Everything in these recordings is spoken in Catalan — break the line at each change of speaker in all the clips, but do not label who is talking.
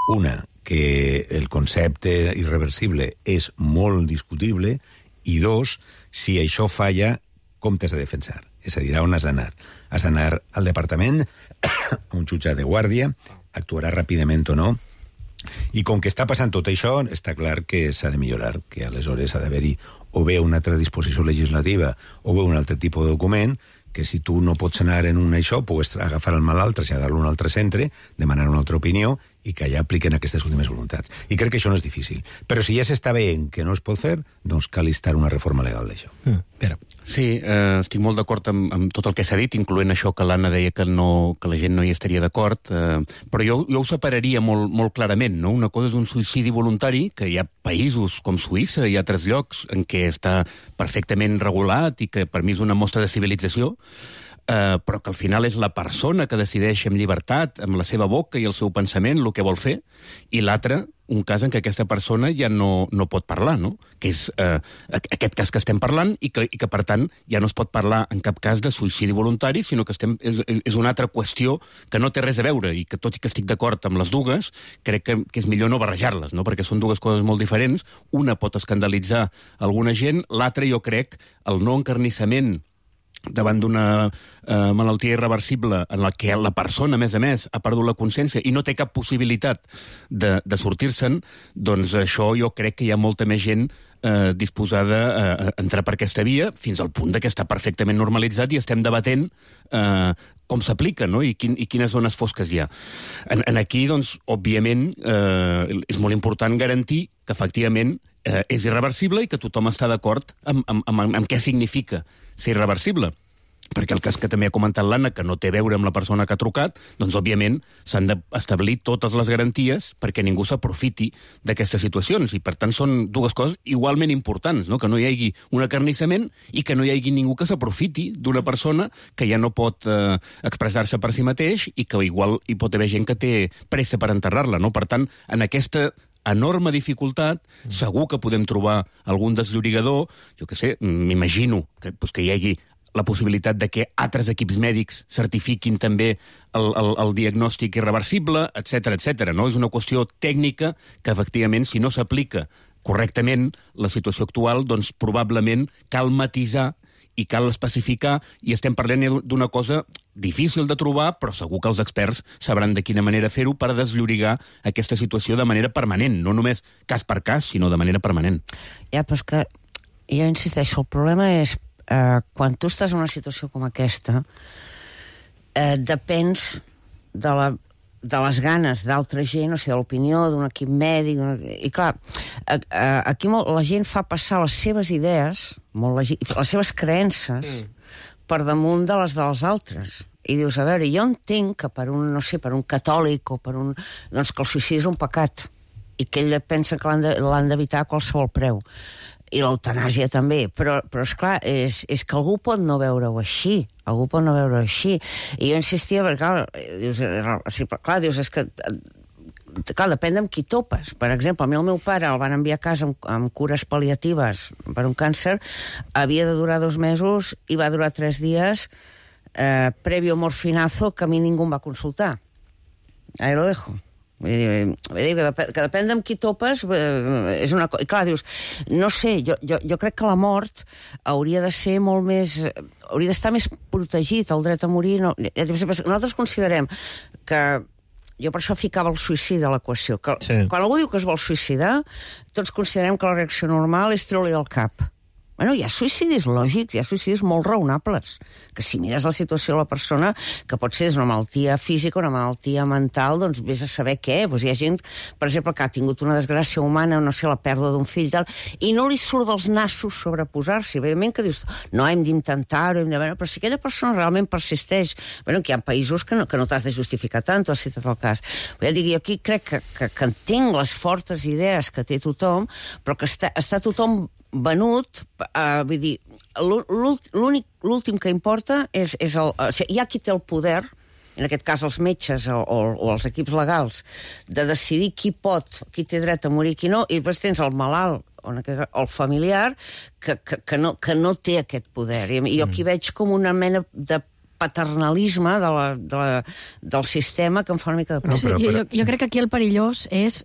Una, que el concepte irreversible és molt discutible, i dos, si això falla, com t'has de defensar? És a dir, on has d'anar? Has d'anar al departament, a un jutjat de guàrdia, actuarà ràpidament o no, i com que està passant tot això, està clar que s'ha de millorar, que aleshores ha d'haver-hi o bé una altra disposició legislativa o bé un altre tipus de document, que si tu no pots anar en un això, pugues agafar el malalt, traslladar-lo a un altre centre, demanar una altra opinió i que allà apliquen aquestes últimes voluntats. I crec que això no és difícil. Però si ja s'està veient que no es pot fer, doncs cal instar una reforma legal d'això.
Pere.
Sí, estic molt d'acord amb tot el que s'ha dit, incloent això que l'Anna deia que la gent no hi estaria d'acord, però jo ho separaria molt clarament, no? Una cosa és un suïcidi voluntari, que hi ha països com Suïssa i altres llocs en què està perfectament regulat i que per mi és una mostra de civilització, però que al final és la persona que decideix amb llibertat, amb la seva boca i el seu pensament, el que vol fer, i l'altre, un cas en què aquesta persona ja no pot parlar, no? Que és aquest cas que estem parlant i que, per tant, ja no es pot parlar en cap cas de suïcidi voluntari, sinó que és una altra qüestió que no té res a veure i que, tot i que estic d'acord amb les dues, crec que és millor no barrejar-les, no? Perquè són dues coses molt diferents. Una pot escandalitzar alguna gent, l'altra, jo crec, el no encarnissament davant d'una malaltia irreversible en la que la persona, a més, ha perdut la consciència i no té cap possibilitat de sortir-se'n, doncs això jo crec que hi ha molta més gent disposada a entrar per aquesta via, fins al punt que està perfectament normalitzat i estem debatent com s'aplica, no? I quines zones fosques hi ha. Aquí, doncs, òbviament, és molt important garantir que, efectivament, és irreversible i que tothom està d'acord amb què significa ser irreversible. Perquè el cas que també ha comentat l'Anna, que no té a veure amb la persona que ha trucat, doncs, òbviament, s'han d'establir totes les garanties perquè ningú s'aprofiti d'aquestes situacions. I, per tant, són dues coses igualment importants, no? Que no hi hagi un acarnissament i que no hi hagi ningú que s'aprofiti d'una persona que ja no pot expressar-se per si mateix i que igual hi pot haver gent que té pressa per enterrar-la, no? Per tant, en aquesta enorme dificultat, segur que podem trobar algun desllorigador, jo què sé, m'imagino que hi hagi la possibilitat de que altres equips mèdics certifiquin també el diagnòstic irreversible, etc. No? És una qüestió tècnica que, efectivament, si no s'aplica correctament la situació actual, doncs probablement cal matisar i cal especificar, i estem parlant d'una cosa difícil de trobar, però segur que els experts sabran de quina manera fer-ho per desllorigar aquesta situació de manera permanent, no només cas per cas, sinó de manera permanent.
Ja, però és que jo insisteixo, el problema és quan tu estàs en una situació com aquesta, depens de les ganes d'altra gent, o sigui, de l'opinió d'un equip mèdic, i clar, aquí la gent fa passar les seves idees, les seves creences, per damunt de les dels altres. I dius, a veure, jo entenc que per un catòlic o per un... doncs que el suïcidi és un pecat i que ell pensa que l'han d'evitar a qualsevol preu. I l'eutanàsia també, però esclar, és que algú pot no veure-ho així, I jo insistia, perquè dius, és que depèn amb qui topes. Per exemple, a mi el meu pare el van enviar a casa amb cures pal·liatives per un càncer, havia de durar 2 mesos i va durar 3 dies previo morfinazo, que a mi ningú em va consultar. Ahí lo dejo. Que depèn amb qui topes és una cosa. I clar, dius, no sé, jo crec que la mort hauria de ser molt més... hauria d'estar més protegit, el dret a morir. Nosaltres considerem que... Jo per això ficava el suïcidi a l'equació. Quan algú diu que es vol suïcidar, tots considerem que la reacció normal és treure-li el cap. Bueno, hi ha suïcidis lògics, hi ha suïcidis molt raonables, que si mires la situació de la persona, que pot ser una malaltia física, una malaltia mental, doncs vés a saber què. Doncs hi ha gent, per exemple, que ha tingut una desgràcia humana, no sé, la pèrdua d'un fill, tal, i no li surt dels nassos sobreposar-s'hi. Evidentment que dius, no, hem d'intentar-ho, però si aquella persona realment persisteix, bueno, que hi ha països que no t'has de justificar tant, tu has citat el cas. Ja dic, jo aquí crec que entenc les fortes idees que té tothom, però que està tothom venut, vull dir, l'últim que importa és hi ha qui té el poder, en aquest cas els metges o els equips legals, de decidir qui té dret a morir i qui no, i després tens el malalt o el familiar que no té aquest poder. I jo aquí veig com una mena de paternalisme del sistema que em fa una mica de por.
Sí, jo crec que aquí el perillós és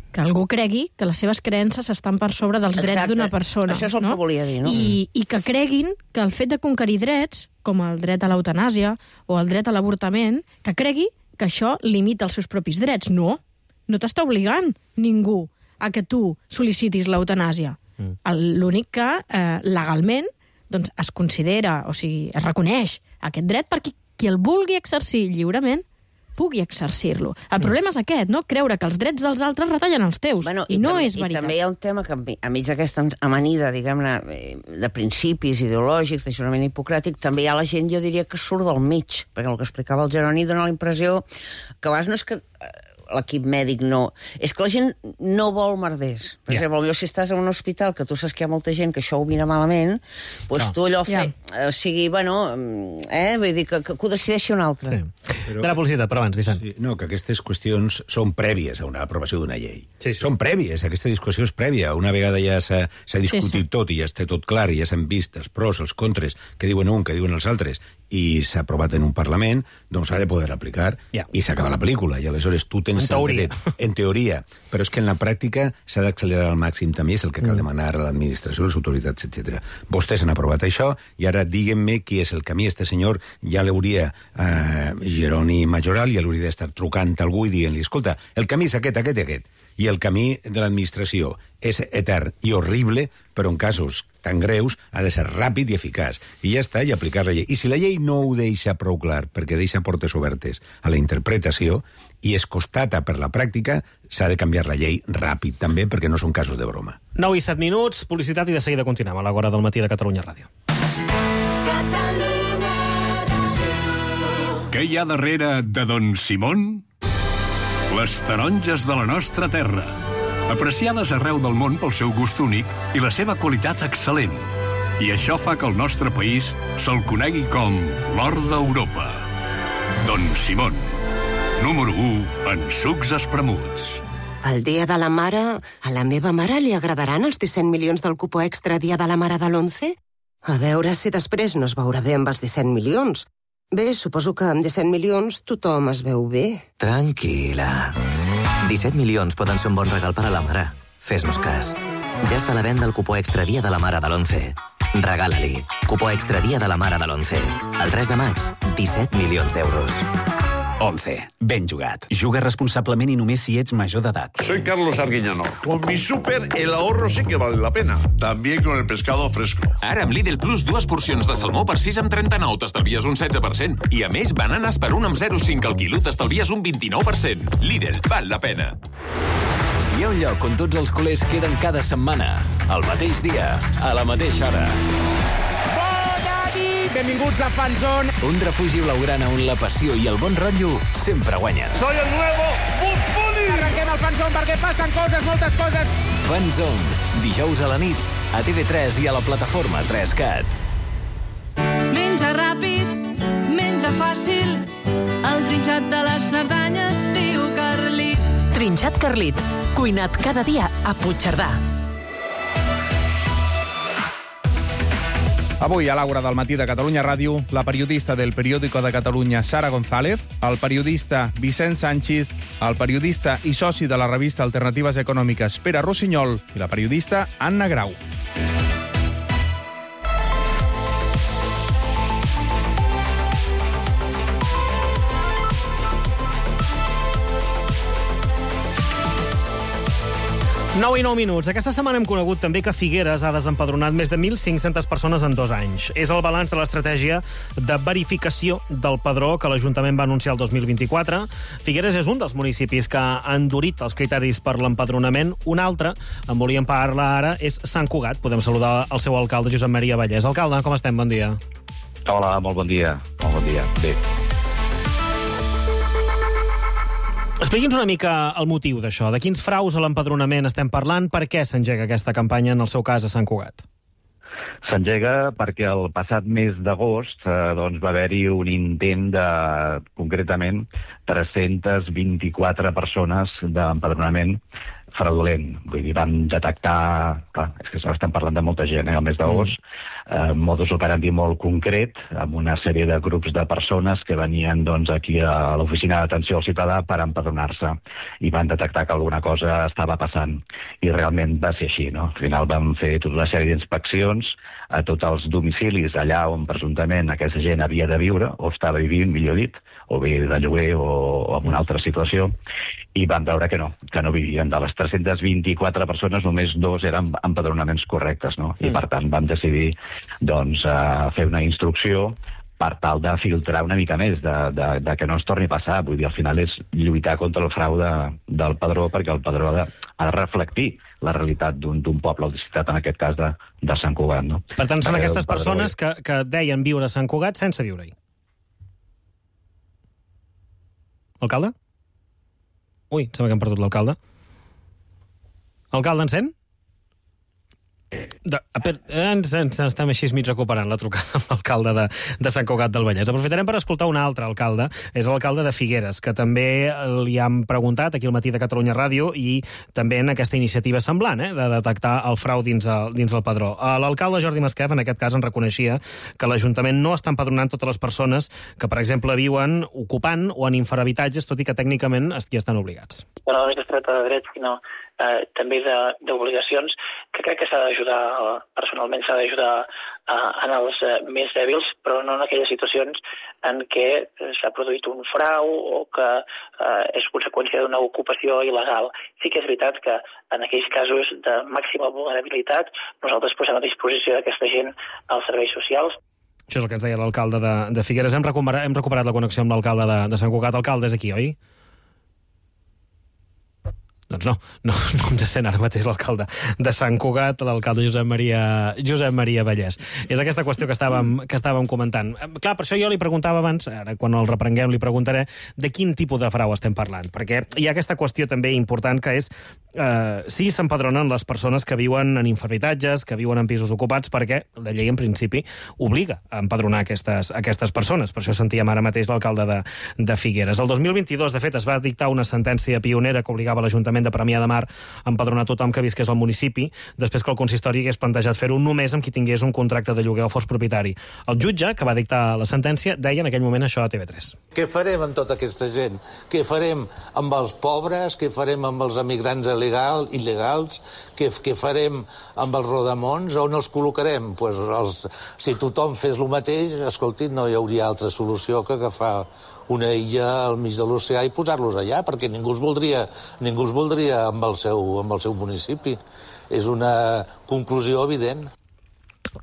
que algú cregui que les seves creences estan per sobre dels drets d'una persona.
Això és el que volia dir, no?
I que creguin que el fet de conquerir drets, com el dret a l'eutanàsia o el dret a l'avortament, que cregui que això limita els seus propis drets. No t'està obligant ningú a que tu sol·licitis l'eutanàsia. L'únic que legalment doncs, es considera, o sigui, es reconeix aquest dret perquè qui el vulgui exercir lliurement pugui exercir-lo. El problema és aquest, no? Creure que els drets dels altres retallen els teus. I no és veritat.
I també hi ha un tema que, enmig d'aquesta amanida, diguem-ne, de principis ideològics, de jurament hipocràtic, també hi ha la gent, jo diria, que surt del mig, perquè el que explicava el Jeroni dona la impressió que a vegades no és que l'equip mèdic no... És que la gent no vol merders. Per exemple, potser si estàs en un hospital que tu saps que hi ha molta gent que això ho mira malament, doncs tu allò sigui, bueno, vull dir, que ho decideixi un altre.
De la publicitat, però abans, Vicent.
No, que aquestes qüestions són prèvies a una aprovació d'una llei.
Sí.
Són prèvies, aquesta discussió és prèvia. Una vegada ja s'ha discutit tot i ja està tot clar i ja s'han vist els pros, els contres, que diuen un, que diuen els altres, i s'ha aprovat en un Parlament, doncs s'ha de poder aplicar i s'acaba la pel·lícula. I aleshores tu tens en teoria. Però és que en la pràctica s'ha d'accelerar al màxim també, és el que cal demanar a l'administració, a les autoritats, etc. Vostès han aprovat això i ara diguem-me qui és el camí. Este senyor ja l'hauria, Jeroni Majoral, ja l'hauria d'estar trucant a algú i dient-li, escolta, el camí és aquest, aquest i aquest. I el camí de l'administració és etern i horrible, però en casos tan greus ha de ser ràpid i eficaç. I ja està, i aplicar la llei. I si la llei no ho deixa prou clar, perquè deixa portes obertes a la interpretació, i es constata per la pràctica, s'ha de canviar la llei ràpid, també, perquè no són casos de broma.
9 i 7 minuts, publicitat, i de seguida continuem a l'Hora del Matí de Catalunya Ràdio.
Què hi ha darrere de Don Simón? Les taronges de la nostra terra, apreciades arreu del món pel seu gust únic i la seva qualitat excel·lent. I això fa que el nostre país se'l conegui com l'or d'Europa. Don Simón, número 1 en sucs espremuts.
El dia de la mare, a la meva mare li agradaran els 17 milions del cupó extra dia de la mare de l'11? A veure si després no es veurà bé amb els 17 milions. Bé, suposo que amb 17 milions tothom es veu bé.
Tranquil·la. 17 milions poden ser un bon regal per a la mare. Fes-nos cas. Ja està a la venda el cupó extra dia de la mare de l'11. Regala-li. Cupó extra dia de la mare de l'11. El 3 de maig, 17 milions d'euros.
11. Ben jugat. Juga responsablement i només si ets major d'edat.
Soy Carlos Arguiñano. Con mi súper, el ahorro sí que vale la pena. También con el pescado fresco.
Ara amb Lidl Plus, 2 porcions de salmó per 6,39, t'estalvies un 16%. I a més, bananes per 1,05 al quilo, t'estalvies un 29%. Lidl, val la pena.
Hi ha un lloc on tots els culers queden cada setmana, al mateix dia, a la mateixa hora.
Benvinguts a Fanzone.
Un refugi blaugrana on la passió i el bon rotllo sempre guanyen.
Soy el nuevo Bugs Bunny!
Arrenquem el Fanzone perquè passen coses, moltes coses.
Fanzone, dijous a la nit, a TV3 i a la plataforma 3CAT.
Menja ràpid, menja fàcil, el trinxat de les Cerdanyes diu Carlit.
Trinxat Carlit, cuinat cada dia a Puigcerdà.
Avui, a l'Hora del Matí de Catalunya Ràdio, la periodista del Periódico de Catalunya, Sara González, el periodista Vicent Sanchis, el periodista i soci de la revista Alternatives Econòmiques, Pere Rossinyol, i la periodista Anna Grau.
Nou i 9 minuts. Aquesta setmana hem conegut també que Figueres ha desempadronat més de 1.500 persones en 2 anys. És el balanç de l'estratègia de verificació del padró que l'Ajuntament va anunciar el 2024. Figueres és un dels municipis que ha endurit els criteris per l'empadronament. Un altre, en volíem parlar ara, és Sant Cugat. Podem saludar el seu alcalde, Josep Maria Vallès. Alcalde, com estem? Bon dia.
Hola, molt bon dia. Molt bon dia. Bé.
Expliqui'ns una mica el motiu d'això. De quins fraus a l'empadronament estem parlant? Per què s'engega aquesta campanya, en el seu cas, a Sant Cugat?
S'engega perquè el passat mes d'agost va haver-hi un intent de, concretament, 324 persones d'empadronament fraudulent. Vull dir, van detectar... Clar, és que estem parlant de molta gent, al mes d'agost, modus operandi molt concret, amb una sèrie de grups de persones que venien doncs, aquí a l'oficina d'atenció al ciutadà per empadronar-se i van detectar que alguna cosa estava passant. I realment va ser així, no? Al final vam fer tota una sèrie d'inspeccions a tots els domicilis allà on presumptament aquesta gent havia de viure, o estava vivint, millor dit, o bé de lloguer o en una altra situació, i vam veure que no vivien. De les 324 persones, només 2 eren empadronaments correctes, no? I per tant vam decidir doncs, fer una instrucció per tal de filtrar una mica més, de que no ens torni a passar. Vull dir, al final és lluitar contra el frau del padró, perquè el padró ha de reflectir la realitat d'un poble o de ciutat, en aquest cas de Sant Cugat. No?
Per tant, són aquestes persones que deien viure a Sant Cugat sense viure-hi. Alcalde? Ui, sembla que hem perdut l'alcalde. Alcalde, encén? Estem així mig recuperant la trucada amb l'alcalde de Sant Cugat del Vallès. Aprofitarem per escoltar un altre alcalde, és l'alcalde de Figueres, que també li han preguntat aquí al Matí de Catalunya Ràdio i també en aquesta iniciativa semblant, de detectar el frau dins el padró. L'alcalde Jordi Masquef, en aquest cas, en reconeixia que l'Ajuntament no està empadronant totes les persones que, per exemple, viuen ocupant o en infrahabitatges, tot i que tècnicament hi estan obligats.
No només es tracta de drets, sinó també d'obligacions, que crec que s'ha d'ajudar, personalment s'ha d'ajudar en els més dèbils, però no en aquelles situacions en què s'ha produït un frau o que és conseqüència d'una ocupació il·legal. Sí que és veritat que en aquells casos de màxima vulnerabilitat nosaltres posem a disposició d'aquesta gent als serveis socials.
Això és el que ens deia l'alcalde de Figueres. Hem recuperat la connexió amb l'alcalde de Sant Cugat. Alcalde, és aquí, oi? Doncs no ens sent ara mateix l'alcalde de Sant Cugat, l'alcalde Josep Maria Vallès. És aquesta qüestió que estàvem comentant. Clar, per això jo li preguntava abans, ara quan el reprenguem li preguntaré, de quin tipus de frau estem parlant, perquè hi ha aquesta qüestió també important que és si s'empadronen les persones que viuen en infrahabitatges, que viuen en pisos ocupats, perquè la llei en principi obliga a empadronar aquestes persones. Per això sentíem ara mateix l'alcalde de Figueres. El 2022, de fet, es va dictar una sentència pionera que obligava l'Ajuntament de Premià de Mar a empadronar tothom que visqués al municipi, després que el consistori hagués plantejat fer-ho només amb qui tingués un contracte de lloguer o fos propietari. El jutge, que va dictar la sentència, deia en aquell moment això a TV3.
Què farem amb tota aquesta gent? Què farem amb els pobres? Què farem amb els emigrants il·legals? Què farem amb els rodamons? On els col·locarem? Si tothom fes el mateix, escolti, no hi hauria altra solució que agafar una illa al mig de l'oceà i posar-los allà, perquè ningú els voldria amb el seu municipi. És una conclusió evident.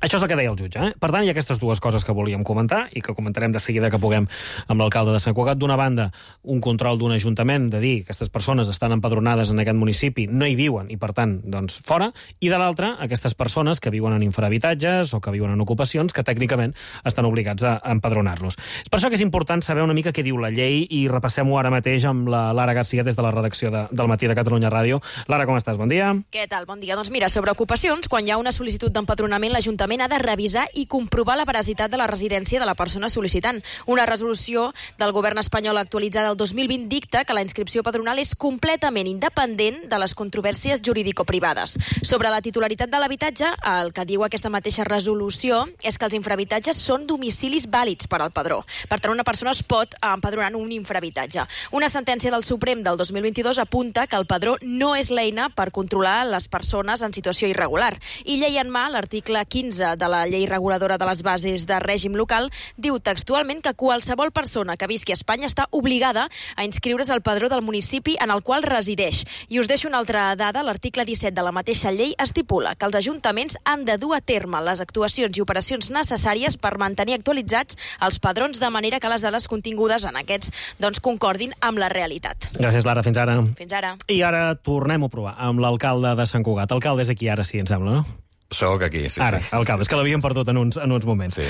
Això és el que deia el jutge. Per tant, hi ha aquestes dues coses que volíem comentar i que comentarem de seguida que puguem amb l'alcalde de Sant Cugat. D'una banda, un control d'un ajuntament de dir que aquestes persones estan empadronades en aquest municipi, no hi viuen i, per tant, doncs, fora. I de l'altra, aquestes persones que viuen en infrahabitatges o que viuen en ocupacions que tècnicament estan obligats a empadronar-los. És per això que és important saber una mica què diu la llei i repassem-ho ara mateix amb la Lara Garcia des de la redacció del Matí de Catalunya Ràdio. Lara, com estàs? Bon dia.
Què tal? Bon dia. Doncs mira, sobre ocupacions, quan hi ha una sol·licitud d'empadronament, l'Ajuntament ha de revisar i comprovar la veracitat de la residència de la persona sol·licitant. Una resolució del govern espanyol actualitzada el 2020 dicta que la inscripció padronal és completament independent de les controvèrsies jurídico-privades. Sobre la titularitat de l'habitatge, el que diu aquesta mateixa resolució és que els infrahabitatges són domicilis vàlids per al padró. Per tant, una persona es pot empadronar en un infrahabitatge. Una sentència del Suprem del 2022 apunta que el padró no és l'eina per controlar les persones en situació irregular. I llei en mà, l'article 15 de la llei reguladora de les bases de règim local diu textualment que qualsevol persona que visqui a Espanya està obligada a inscriure's al padró del municipi en el qual resideix. I us deixo una altra dada. L'article 17 de la mateixa llei estipula que els ajuntaments han de dur a terme les actuacions i operacions necessàries per mantenir actualitzats els padrons de manera que les dades contingudes en aquests concordin amb la realitat.
Gràcies, Lara. Fins ara.
Fins ara.
I ara tornem-ho a provar amb l'alcalde de Sant Cugat. L'alcalde és aquí ara, sí, em sembla, no?
Soc aquí, sí.
Ara, alcalde, és que l'havíem perdut en uns moments.
Sí.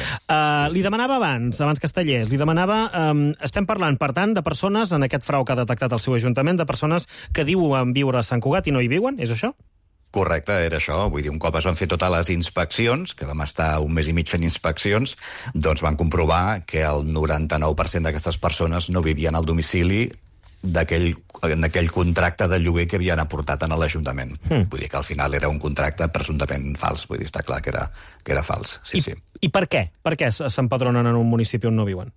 Li demanava abans Castellers, li demanava... estem parlant, per tant, de persones, en aquest frau que ha detectat el seu ajuntament, de persones que diuen viure a Sant Cugat i no hi viuen, és això?
Correcte, era això. Vull dir, un cop es van fer totes les inspeccions, que vam estar un mes i mig fent inspeccions, doncs van comprovar que el 99% d'aquestes persones no vivien al domicili d'aquell aquell contracte de lloguer que havien aportat a l'Ajuntament. Vull dir que al final era un contracte presumptament fals. Vull dir, està clar que era fals. Sí.
I per què? Per què s'empadronen en un municipi on no viuen?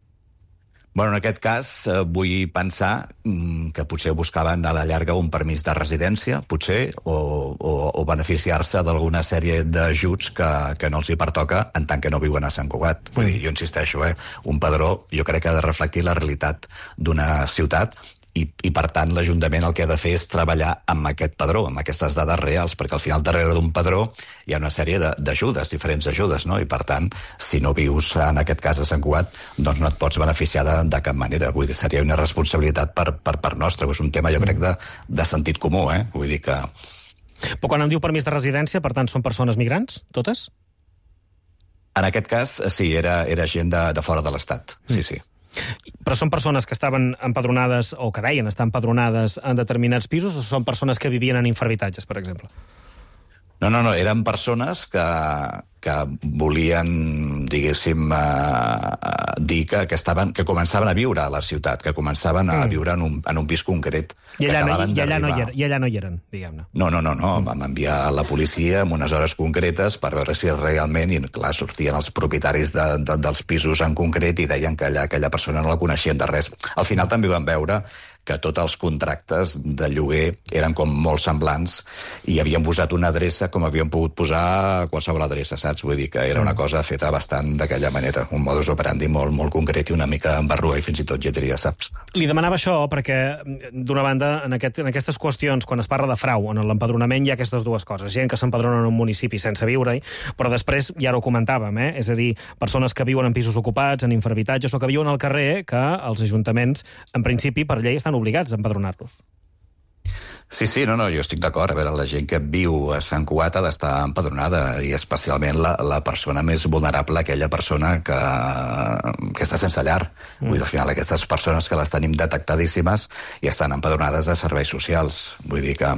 Bueno, en aquest cas, vull pensar que potser buscaven a la llarga un permís de residència, potser, o beneficiar-se d'alguna sèrie d'ajuts que no els hi pertoca en tant que no viuen a Sant Cugat. Vull dir, jo insisteixo, un padró jo crec que ha de reflectir la realitat d'una ciutat i per tant, l'Ajuntament el que ha de fer és treballar amb aquest padró, amb aquestes dades reals, perquè al final darrere d'un padró hi ha una sèrie d'ajudes, diferents ajudes, no? I per tant, si no vius, en aquest cas a Sant Cugat, doncs no et pots beneficiar de cap manera. Vull dir, seria una responsabilitat per part nostra. És un tema, jo crec, de sentit comú, Vull dir que...
Però quan em diu permís de residència, per tant, són persones migrants, totes?
En aquest cas, sí, era gent de fora de l'Estat, sí.
Però són persones que estaven empadronades o que deien estar empadronades en determinats pisos o són persones que vivien en infrahabitatges, per exemple?
No, eren persones que volien, diguéssim, dir que començaven a viure a la ciutat, que començaven a viure en un pis concret.
I allà no hi eren, diguem-ne.
No. Vam enviar a la policia en unes hores concretes per veure si realment, i clar, sortien els propietaris dels pisos en concret i deien que aquella persona no la coneixien de res. Al final també vam veure que tots els contractes de lloguer eren com molt semblants i havien posat una adreça com havien pogut posar qualsevol adreça, saps? Vull dir que era una cosa feta bastant d'aquella manera, un modus operandi molt, molt concret i una mica embarrua i fins i tot ja diria, saps?
Li demanava això perquè, d'una banda, en aquestes qüestions, quan es parla de frau, en l'empadronament hi ha aquestes dues coses. Gent que s'empadrona en un municipi sense viure-hi, però després, ja ho comentàvem, és a dir, persones que viuen en pisos ocupats, en infrahabitatges o que viuen al carrer, que els ajuntaments, en principi, per llei, estan obligats a empadronar-los.
Sí, jo estic d'acord. A veure, la gent que viu a Sant Cugat ha d'estar empadronada i especialment la persona més vulnerable, aquella persona que està sense llar. Vull dir, al final, aquestes persones que les tenim detectadíssimes i estan empadronades a serveis socials. Vull dir que...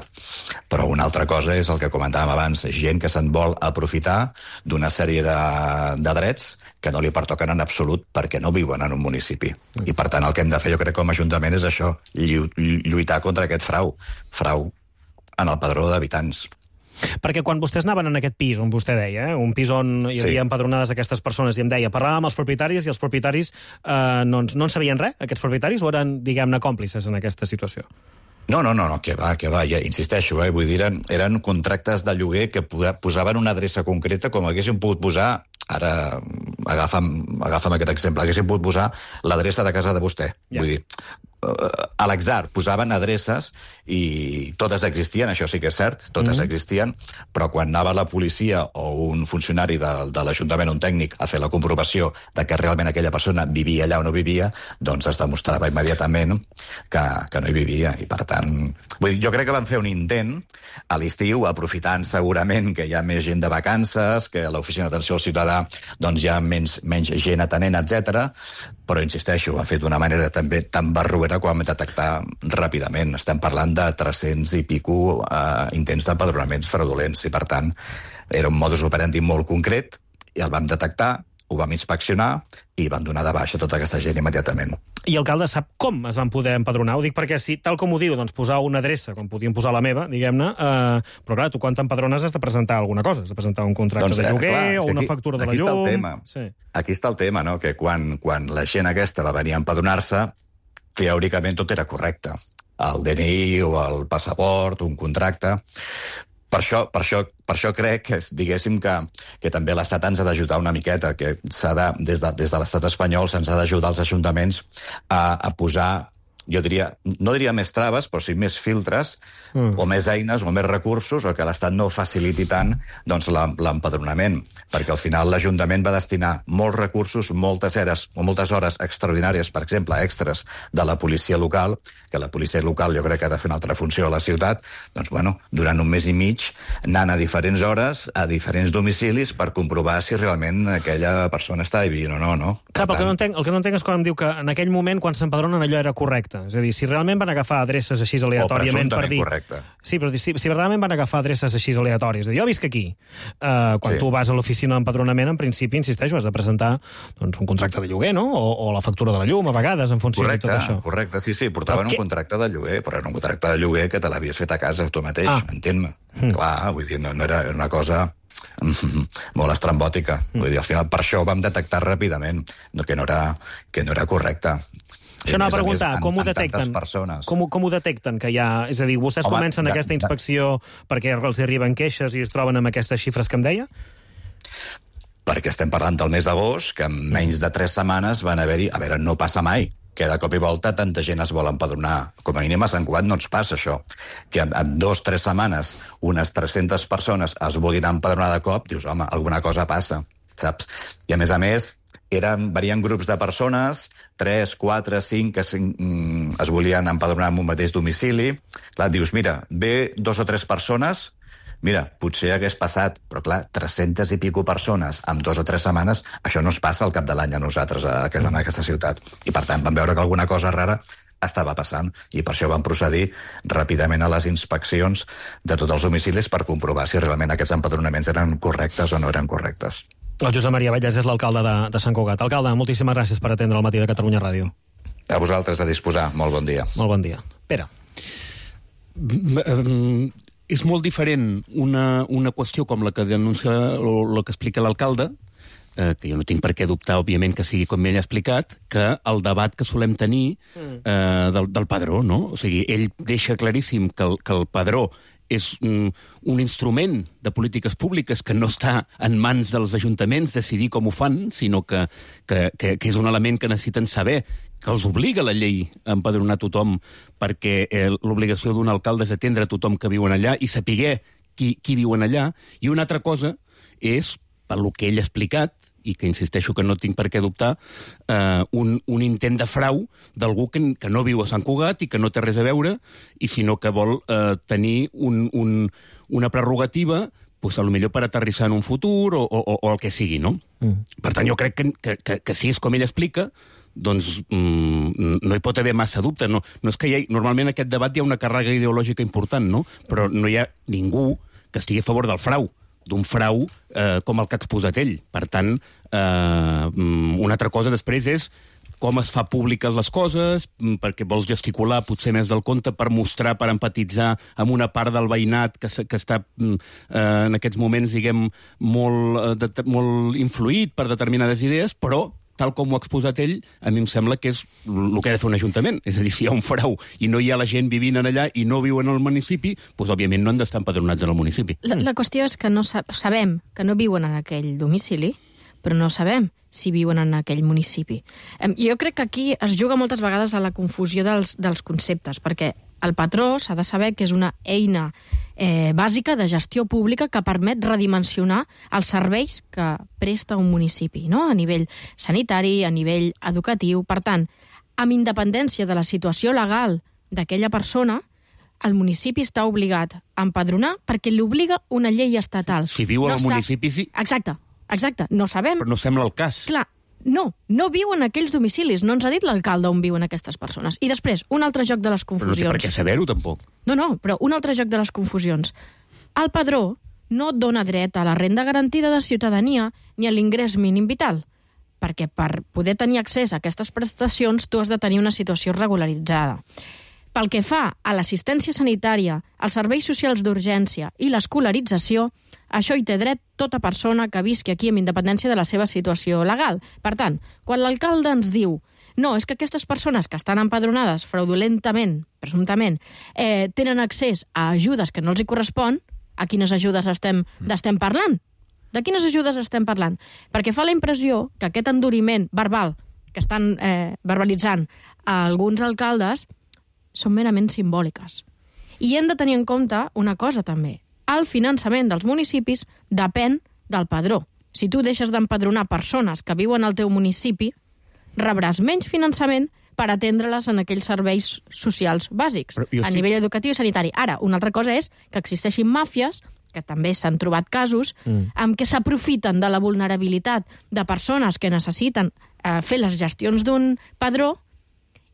Però una altra cosa és el que comentàvem abans, gent que se'n vol aprofitar d'una sèrie de drets que no li pertoquen en absolut perquè no viuen en un municipi. I, per tant, el que hem de fer, jo crec, com a Ajuntament és això, lluitar contra aquest frau en el padró d'habitants.
Perquè quan vostès anaven en aquest pis, on vostè deia, un pis on hi havia empadronades aquestes persones, i em deia, parlàvem amb els propietaris i els propietaris no en sabien res, aquests propietaris, o eren, diguem-ne, còmplices en aquesta situació?
No, que va, ja insisteixo, vull dir, eren contractes de lloguer que posaven una adreça concreta com haguéssim pogut posar, ara agafa'm aquest exemple, haguéssim pogut posar l'adreça de casa de vostè, vull dir, a l'atzar posaven adreces i totes existien, això sí que és cert, totes existien, però quan anava la policia o un funcionari de l'Ajuntament, un tècnic, a fer la comprovació de que realment aquella persona vivia allà o no vivia, doncs es demostrava immediatament que no hi vivia. I per tant, vull dir, jo crec que van fer un intent a l'estiu, aprofitant segurament que hi ha més gent de vacances, que a l'oficina d'atenció al ciutadà doncs hi ha menys gent atenent, etc. Però insisteixo, ho han fet d'una manera també tan barroera que ho vam detectar ràpidament. Estem parlant de 300 i pico intents d'empadronaments fraudulents i, per tant, era un modus operandi molt concret i el vam detectar, ho vam inspeccionar i vam donar de baixa tota aquesta gent immediatament.
I alcalde sap com es van poder empadronar? Ho dic perquè, si, tal com ho diu, doncs posar una adreça, com podíem posar la meva, diguem-ne, però clar, tu quan t'empadrones has de presentar alguna cosa, has de presentar un contracte de lloguer o una factura de la llum...
Aquí està el tema, no? Que quan la gent aquesta va venir a empadronar-se, teòricament tot era correcte. El DNI o el passaport, un contracte... Per això crec que, diguéssim, que també l'Estat ens ha d'ajudar una miqueta, que des de l'Estat espanyol se'ns ha d'ajudar als ajuntaments a posar, jo diria, no diria més traves, però sí més filtres, o més eines, o més recursos, o que l'Estat no faciliti tant doncs, l'empadronament, perquè al final l'Ajuntament va destinar molts recursos, moltes hores extraordinàries, per exemple, extras de la policia local, que la policia local jo crec que ha de fer una altra funció a la ciutat, doncs, bueno, durant un mes i mig, anant a diferents hores, a diferents domicilis, per comprovar si realment aquella persona està vivint o no, no?
Clar, però el que no entenc és quan em diu que en aquell moment, quan s'empadronen, allò era correcte. correcte. És a dir, si realment van agafar adreces així aleatòriament per dir...
correcte.
Sí, però si realment van agafar adreces així aleatòries, de dir, jo visc aquí. Quan tu vas a l'oficina d'empadronament, en principi, insisteixo, has de presentar un contracte de lloguer, no? O la factura de la llum, a vegades, en funció de tot això.
Correcte, sí, portaven un contracte de lloguer, però era un contracte de lloguer que te l'havies fet a casa tu mateix, entén-me. Clar, vull dir, no era una cosa molt estrambòtica. Vull dir, al final, per això ho vam detectar ràpidament, que no era correcte.
Això anava a preguntar, com ho detecten? Com ho detecten que hi ha... És a dir, vostès comencen aquesta inspecció perquè els arriben queixes i es troben amb aquestes xifres que em deia?
Perquè estem parlant del mes d'agost, que en menys de 3 setmanes van haver-hi... A veure, no passa mai, que de cop i volta tanta gent es vol empadronar. Com a mínim a Sant Cugat no ens passa això. Que en 2 o 3 setmanes unes 300 persones es vulguin empadronar de cop, dius, home, alguna cosa passa, saps? I a més, varien grups de persones, 3, 4, 5, que es volien empadronar en un mateix domicili. Clar, dius, mira, ve 2 o 3 persones, mira, potser hagués passat, però clar, 300 i pico persones en 2 o 3 setmanes, això no es passa al cap de l'any a nosaltres, en aquesta ciutat. I per tant vam veure que alguna cosa rara estava passant, i per això vam procedir ràpidament a les inspeccions de tots els domicilis per comprovar si realment aquests empadronaments eren correctes o no eren correctes.
El Josep Maria Vallès és l'alcalde de Sant Cugat. Alcalde, moltíssimes gràcies per atendre el Matí de Catalunya Ràdio.
A vosaltres, a disposar. Molt bon dia.
Molt bon dia. Pere.
És molt diferent una qüestió com la que denuncia o la que explica l'alcalde, que jo no tinc per què dubtar, òbviament, que sigui com ell ha explicat, que el debat que solem tenir del padró, no? O sigui, ell deixa claríssim que el padró és un instrument de polítiques públiques que no està en mans dels ajuntaments decidir com ho fan, sinó que és un element que necessiten saber, que els obliga la llei a empadronar tothom, perquè l'obligació d'un alcalde és atendre tothom que viuen allà i saber qui viuen allà. I una altra cosa és, pel que ell ha explicat, i que insisteixo que no tinc per què dubtar, un intent de frau d'algú que no viu a Sant Cugat i que no té res a veure, i sinó que vol tenir una prerrogativa, pues, potser per aterrissar en un futur o el que sigui, no? Per tant, jo crec que si és com ell explica, doncs no hi pot haver massa dubte. No és que normalment en aquest debat hi ha una càrrega ideològica important, no? Però no hi ha ningú que estigui a favor del frau, d'un frau com el que ha exposat ell. Per tant, una altra cosa després és com es fa públiques les coses, perquè vols gesticular potser més del compte per mostrar, per empatitzar amb una part del veïnat que està en aquests moments, diguem, molt influït per determinades idees, però tal com ho ha exposat ell, a mi em sembla que és el que ha de fer un ajuntament. És a dir, si hi ha un frau i no hi ha la gent vivint allà i no viuen al municipi, doncs, òbviament, no han d'estar empadronats en el municipi.
La qüestió és que no sabem que no viuen en aquell domicili, però no sabem si viuen en aquell municipi. Jo crec que aquí es juga moltes vegades a la confusió dels conceptes, perquè el patró s'ha de saber que és una eina bàsica de gestió pública que permet redimensionar els serveis que presta un municipi, no? A nivell sanitari, a nivell educatiu. Per tant, amb independència de la situació legal d'aquella persona, el municipi està obligat a empadronar perquè l'obliga una llei estatal.
Si viu al municipi, sí.
Exacte, no sabem.
Però no sembla el cas.
Clar, no viuen aquells domicilis. No ens ha dit l'alcalde on viuen aquestes persones. I després, un altre joc de les confusions.
Però no té per què saber-ho, tampoc.
No, però un altre joc de les confusions. El padró no et dona dret a la renda garantida de ciutadania ni a l'ingrés mínim vital, perquè per poder tenir accés a aquestes prestacions tu has de tenir una situació regularitzada. Pel que fa a l'assistència sanitària, als serveis socials d'urgència i l'escolarització, això hi té dret tota persona que visqui aquí amb independència de la seva situació legal. Per tant, quan l'alcalde ens diu no, és que aquestes persones que estan empadronades fraudulentament, presumptament, tenen accés a ajudes que no els hi correspon, a quines ajudes estem parlant? De quines ajudes estem parlant? Perquè fa la impressió que aquest enduriment verbal que estan verbalitzant alguns alcaldes són merament simbòliques. I hem de tenir en compte una cosa també. El finançament dels municipis depèn del padró. Si tu deixes d'empadronar persones que viuen al teu municipi, rebràs menys finançament per atendre-les en aquells serveis socials bàsics, a nivell educatiu i sanitari. Ara, una altra cosa és que existeixin màfies, que també s'han trobat casos, amb què s'aprofiten de la vulnerabilitat de persones que necessiten fer les gestions d'un padró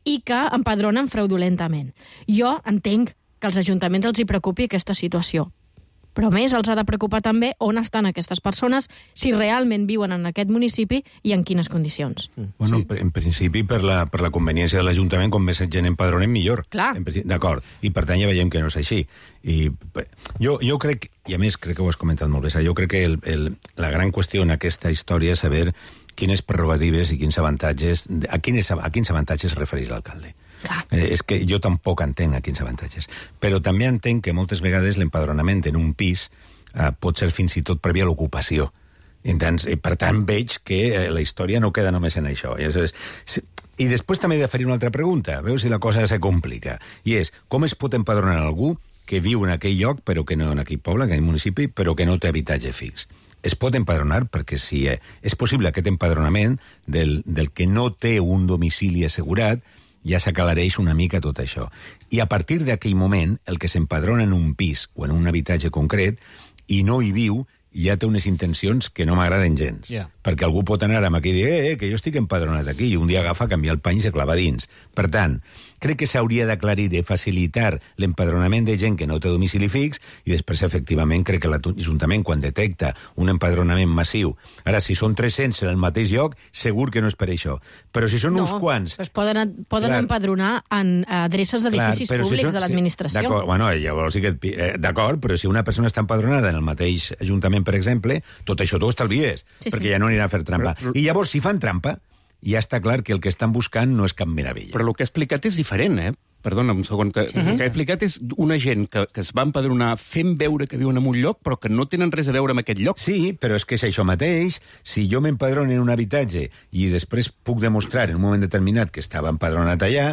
i que empadronen fraudulentament. Jo entenc que als ajuntaments els hi preocupi aquesta situació, però més els ha de preocupar també on estan aquestes persones, si realment viuen en aquest municipi i en quines condicions.
Bueno, en principi, per la conveniència de l'Ajuntament, com més gent empadronem, millor.
Clar.
D'acord. I per tant ja veiem que no és així. I jo crec, i a més crec que ho has comentat molt bé, jo crec que la gran qüestió en aquesta història és saber quines prerrogatives i quins avantatges, a quins avantatges es refereix l'alcalde. És que jo tampoc entenc a quins avantatges. Però també entenc que moltes vegades l'empadronament en un pis pot ser fins i tot prèvia a l'ocupació. Per tant, veig que la història no queda només en això. I després també he de fer una altra pregunta. Veus si la cosa se complica. I és, com es pot empadronar algú que viu en aquell lloc, però que no en aquell poble, en aquell municipi, però que no té habitatge fix? Es pot empadronar perquè si és possible aquest empadronament del que no té un domicili assegurat, ja s'aclareix una mica tot això. I a partir d'aquell moment, el que s'empadrona en un pis o en un habitatge concret i no hi viu, ja té unes intencions que no m'agraden gens. Perquè algú pot anar amb aquí i dir que jo estic empadronat aquí, i un dia agafa, canviar el pany i se clava dins. Per tant, crec que s'hauria d'aclarir i facilitar l'empadronament de gent que no té domicili fix, i després, efectivament, crec que l'Ajuntament, quan detecta un empadronament massiu, ara, si són 300 en el mateix lloc, segur que no és per això. Però si són uns quants...
Es poden empadronar en adreces d'edificis públics de l'administració.
D'acord, bueno, llavors sí que... D'acord, però si una persona està empadronada en el mateix Ajuntament, per exemple, tot això t'ho estalvies, perquè ja no anirà a fer trampa. I llavors, si fan trampa, ja està clar que el que estan buscant no és cap meravella.
Però el que ha explicat és diferent, Perdona, un segon. El que ha explicat és una gent que es va empadronar fent veure que viuen en un lloc, però que no tenen res a veure amb aquest lloc.
Sí, però és que és això mateix. Si jo m'empadrono en un habitatge i després puc demostrar en un moment determinat que estava empadronat allà,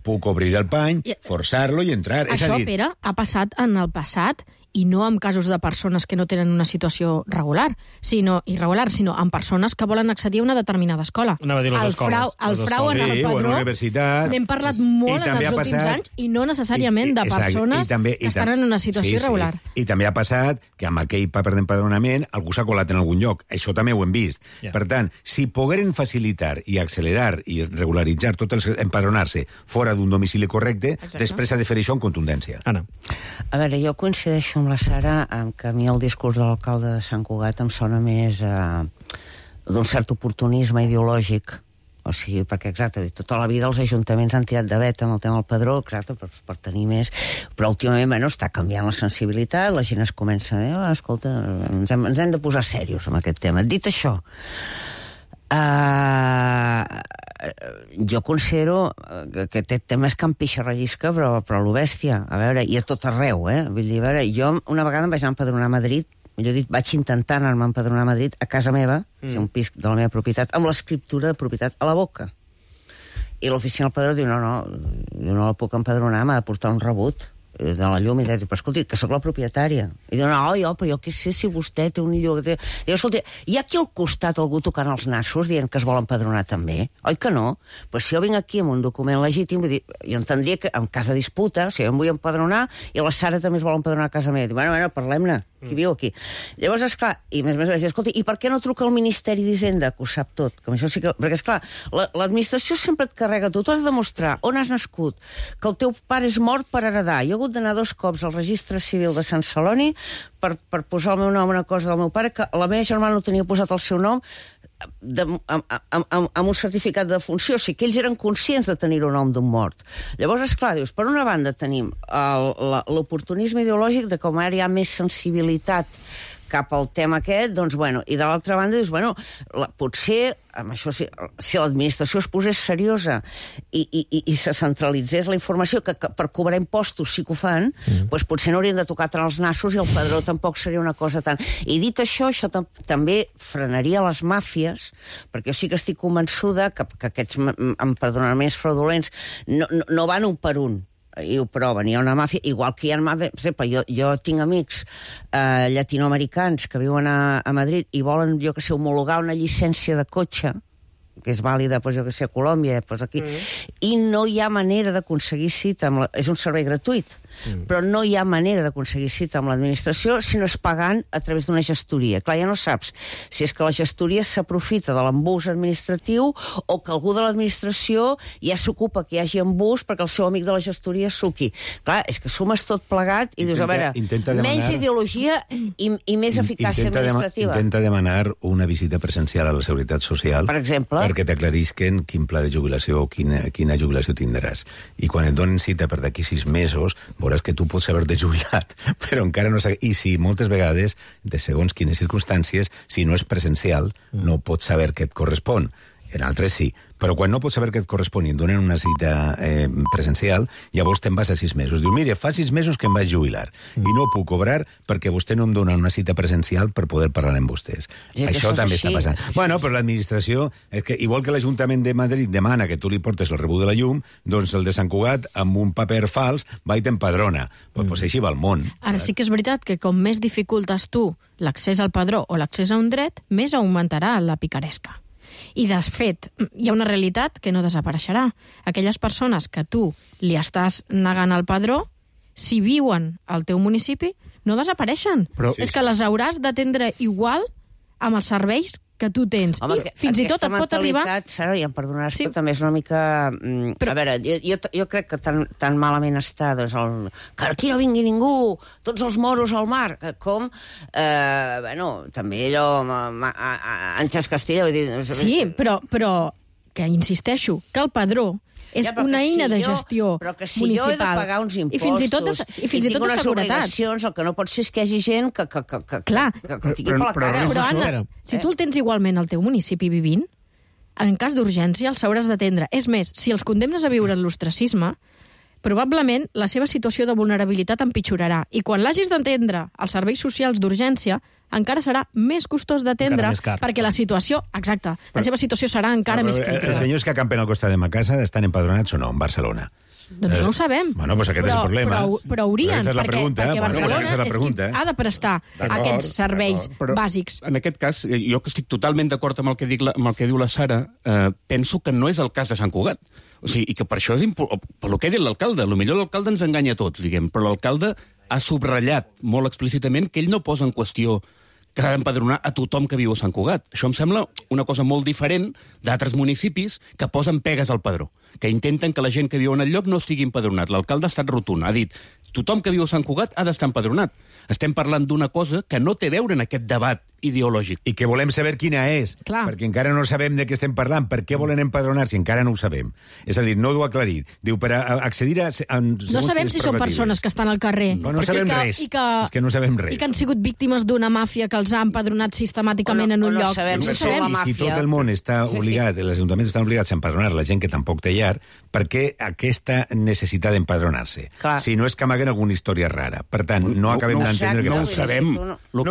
puc obrir el pany, forçar-lo i entrar.
Això, Pere, ha passat en el passat, i no en casos de persones que no tenen una situació irregular, sinó en persones que volen accedir a una determinada escola.
Anava a dir les escoles.
El frau en el padró, n'hem parlat molt en els últims anys, i no necessàriament de persones que estan en una situació irregular.
I també ha passat que amb aquell paper d'empadronament algú s'ha colat en algun lloc. Això també ho hem vist. Per tant, si pogueren facilitar i accelerar i regularitzar tot el empadronar-se fora d'un domicili correcte, després ha de fer això amb contundència.
Anna.
A veure, jo coincideixo amb la Sara, que a mi el discurs de l'alcalde de Sant Cugat em sona més d'un cert oportunisme ideològic. O sigui, perquè, exacte, tota la vida els ajuntaments han tirat de vet amb el tema del padró, exacte, per tenir més, però últimament, bueno, està canviant la sensibilitat, la gent es comença a dir, escolta, ens hem de posar serios amb aquest tema. Dit això, jo considero que aquest tema és campixa rellisca, però a lo bèstia, a veure, i a tot arreu, vull dir, a veure, jo una vegada em vaig anar a empadronar a Madrid, millor dit, vaig intentar anar-me a empadronar a Madrid a casa meva, un pis de la meva propietat, amb l'escriptura de propietat a la boca. I l'oficina del padró diu, no, jo no la puc empadronar, m'ha de portar un rebut de la llum, i diu, però escolti, que sóc la propietària. I diu, no, però jo què sé si vostè té un lloc... Diu, escolti, hi ha aquí al costat algú tocant els nassos dient que es vol empadronar també? Oi que no? Pues si jo vinc aquí amb un document legítim, vull dir, jo entendria que en cas de disputa, si jo em vull empadronar i la Sara també es vol empadronar a casa meva, diu, bueno, parlem-ne, qui viu aquí. Llavors, esclar, i més vaig dir, escolti, i per què no truca al Ministeri d'Hisenda, que ho sap tot? Que això sí que... Perquè, esclar, l'administració sempre et carrega tu has de demostrar on has nascut, que el teu pare és mort per heredar. Jo he hagut d'anar 2 cops al registre civil de Sant Celoni per posar el meu nom a una cosa del meu pare, que la meva germana no tenia posat el seu nom amb un certificat de funció, o sigui que ells eren conscients de tenir un nom d'un mort. Llavors, esclar, dius, per una banda tenim l'oportunisme ideològic de com ara hi ha més sensibilitat cap al tema aquest, doncs, bueno, i de l'altra banda dius, bueno, potser, amb això, si l'administració es posés seriosa i se centralitzés la informació, que per cobrar impostos sí que ho fan, doncs potser no haurien de tocar tant els nassos i el padró tampoc seria una cosa tan... I dit això també frenaria les màfies, perquè jo sí que estic convençuda que aquests empadronaments fraudulents no van un per un, i ho proven, hi ha una màfia, igual que hi ha màfia, per exemple, jo tinc amics llatinoamericans que viuen a Madrid i volen, jo que sé, homologar una llicència de cotxe, que és vàlida, jo que sé, a Colòmbia, aquí, i no hi ha manera d'aconseguir cita, és un servei gratuït, però no hi ha manera d'aconseguir cita amb l'administració si no és pagant a través d'una gestoria. Clar, ja no saps si és que la gestoria s'aprofita de l'embús administratiu o que algú de l'administració ja s'ocupa que hi hagi embús perquè el seu amic de la gestoria suqui. Clar, és que sumes tot plegat i dius, a veure, menys ideologia i més eficàcia administrativa.
Intenta demanar una visita presencial a la Seguretat Social,
per exemple,
perquè t'aclarisquen quin pla de jubilació o quina jubilació tindràs. I quan et donen cita per d'aquí 6 mesos, veuràs que tu pots haver-te jubilat, però encara no saps. I si moltes vegades, de segons quines circumstàncies, si no és presencial, no pots saber què et correspon. En altres sí, però quan no pots saber què et correspon i et donen una cita presencial, llavors te'n vas a 6 mesos. Diu, mire, fa 6 mesos que em vaig jubilar i no puc cobrar perquè vostè no em dona una cita presencial per poder parlar amb vostès. Això també està passant. Bueno, però l'administració, és que igual que l'Ajuntament de Madrid demana que tu li portes el rebut de la llum, doncs el de Sant Cugat, amb un paper fals, va i t'empadrona. Pues així va el món.
Ara sí que és veritat que com més dificultes tu l'accés al padró o l'accés a un dret, més augmentarà la picaresca. I, de fet, hi ha una realitat que no desapareixerà. Aquelles persones que tu li estàs negant el padró, si viuen al teu municipi, no desapareixen. Però és que les hauràs d'atendre igual amb els serveis que tu tens.
Home,
i fins i tot et pot arribar...
Sara, ja em perdonaràs, però també és una mica... Però... A veure, jo crec que tan malament està, doncs, que aquí no vingui ningú, tots els moros al mar, com, també allò, Àngels Castilla... Vull dir...
Sí, però que insisteixo, que el padró és una eina de gestió municipal.
Però que si jo he de pagar uns impostos i tinc unes obligacions, el que no pot ser és que hi hagi gent que tingui per la cara.
Però, Anna, si tu el tens igualment al teu municipi vivint, en cas d'urgència els hauràs d'atendre. És més, si els condemnes a viure en l'ostracisme, probablement la seva situació de vulnerabilitat empitjorarà. I quan l'hagis d'atendre als serveis socials d'urgència, encara serà més costós d'atendre perquè la situació, exacte, la seva situació serà encara més crítica.
Els senyors que acampen al costat de ma casa estan empadronats o no, en Barcelona?
Doncs no ho sabem.
Bueno, doncs aquest és el problema.
Però haurien, perquè Barcelona
és qui
ha de prestar aquests serveis bàsics.
En aquest cas, jo que estic totalment d'acord amb el que diu la Sara, penso que no és el cas de Sant Cugat. O sigui, i que per això és per lo que ha dit l'alcalde. Potser l'alcalde ens enganya a tots, diguem, però l'alcalde ha subratllat molt explícitament que ell no posa en qüestió que ha d'empadronar a tothom que viu a Sant Cugat. Això em sembla una cosa molt diferent d'altres municipis que posen pegues al padró, que intenten que la gent que viu en el lloc no estigui empadronat. L'alcalde ha estat rotund, ha dit tothom que viu a Sant Cugat ha d'estar empadronat. Estem parlant d'una cosa que no té a veure en aquest debat ideològic.
I que volem saber quina és, perquè encara no sabem de què estem parlant. Per què volen empadronar si encara no ho sabem? És a dir, no ho ha aclarit. Diu, per accedir a...
No sabem si són persones que estan al carrer.
No sabem res. És que no sabem res.
I que han sigut víctimes d'una màfia que els ha empadronat sistemàticament en un lloc.
No sabem
si tot el món està obligat, els ajuntaments estan obligats a empadronar la gent que tampoc té llar, per què aquesta necessitat d'empadronar-se? Si no és que amaguen alguna història rara. Per tant, no acabem d'entendre que
no ho sabem. El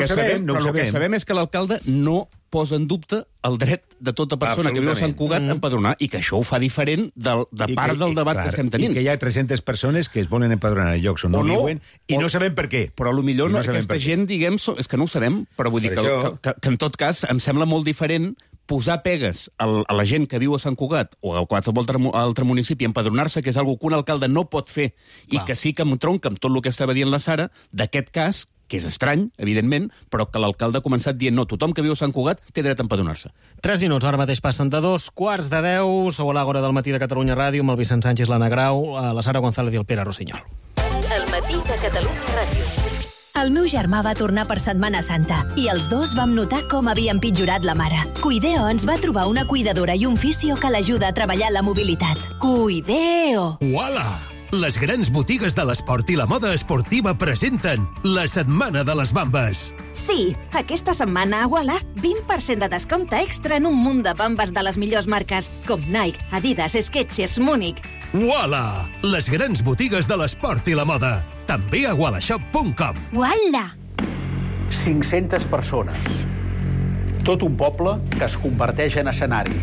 que sabem és que l'alcalde no posa en dubte el dret de tota persona que viu a Sant Cugat a empadronar, i que això ho fa diferent de part del debat que estem tenint.
I que hi ha 300 persones que es volen empadronar en llocs on no viuen i no sabem per què.
Però potser aquesta gent, diguem, és que no ho sabem, però vull dir que en tot cas em sembla molt diferent posar pegues a la gent que viu a Sant Cugat o a qualsevol altre municipi, empadronar-se, que és una cosa que un alcalde no pot fer, i que sí que em tronca amb tot el que estava dient la Sara, d'aquest cas, que és estrany, evidentment, però que l'alcalde ha començat dient no, tothom que viu a Sant Cugat té dret a empadronar-se.
3 minuts, ara mateix passen de 2:45, sou a l'Àgora del matí de Catalunya Ràdio, amb el Vicent Sánchez, l'Anna Grau, la Sara González i el Pere Rossinyol.
El matí de Catalunya Ràdio. El meu germà va tornar per Setmana Santa i els dos vam notar com havia empitjorat la mare. Cuideo ens va trobar una cuidadora i un fisio que l'ajuda a treballar la mobilitat. Cuideo!
Uala! Les grans botigues de l'esport i la moda esportiva presenten la Setmana de les Bambes.
Sí, aquesta setmana a Uala, 20% de descompte extra en un munt de bambes de les millors marques, com Nike, Adidas, Skechers, Múnich.
Uala! Les grans botigues de l'esport i la moda. També a wallashop.com.
Uala!
500 persones. Tot un poble que es converteix en escenari.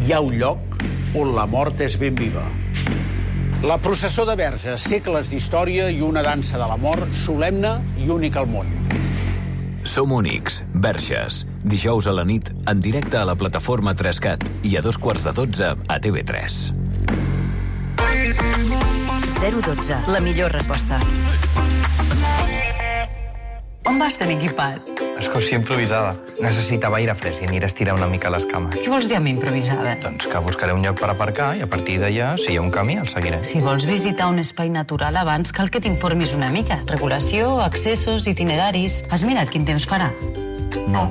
Hi ha un lloc on la mort és ben viva. La processó de Verges, segles d'història i una dansa de la mort solemne i única al món.
Som únics, Verges. Dijous a la nit, en directe a la plataforma 3CAT i a 2:45 a TV3.
012, la millor resposta.
On vas tan equipat?
Excursió improvisada. Necessitava aire fresc i aniré a estirar una mica les cames.
Què vols dir amb improvisada?
Doncs que buscaré un lloc per aparcar i a partir d'allà, si hi ha un camí, el seguiré.
Si vols visitar un espai natural abans, cal que t'informis una mica. Regulació, accessos, itineraris... Has mirat quin temps farà?
No.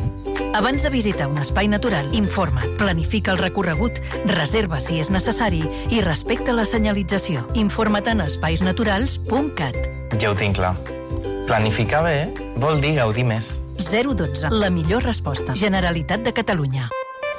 Abans de visitar un espai natural, informa't, planifica el recorregut, reserva si és necessari i respecta la senyalització. Informa't en espaisnaturals.cat.
Ja ho tinc clar. Planificar bé vol dir gaudir més.
012, la millor resposta. Generalitat de Catalunya.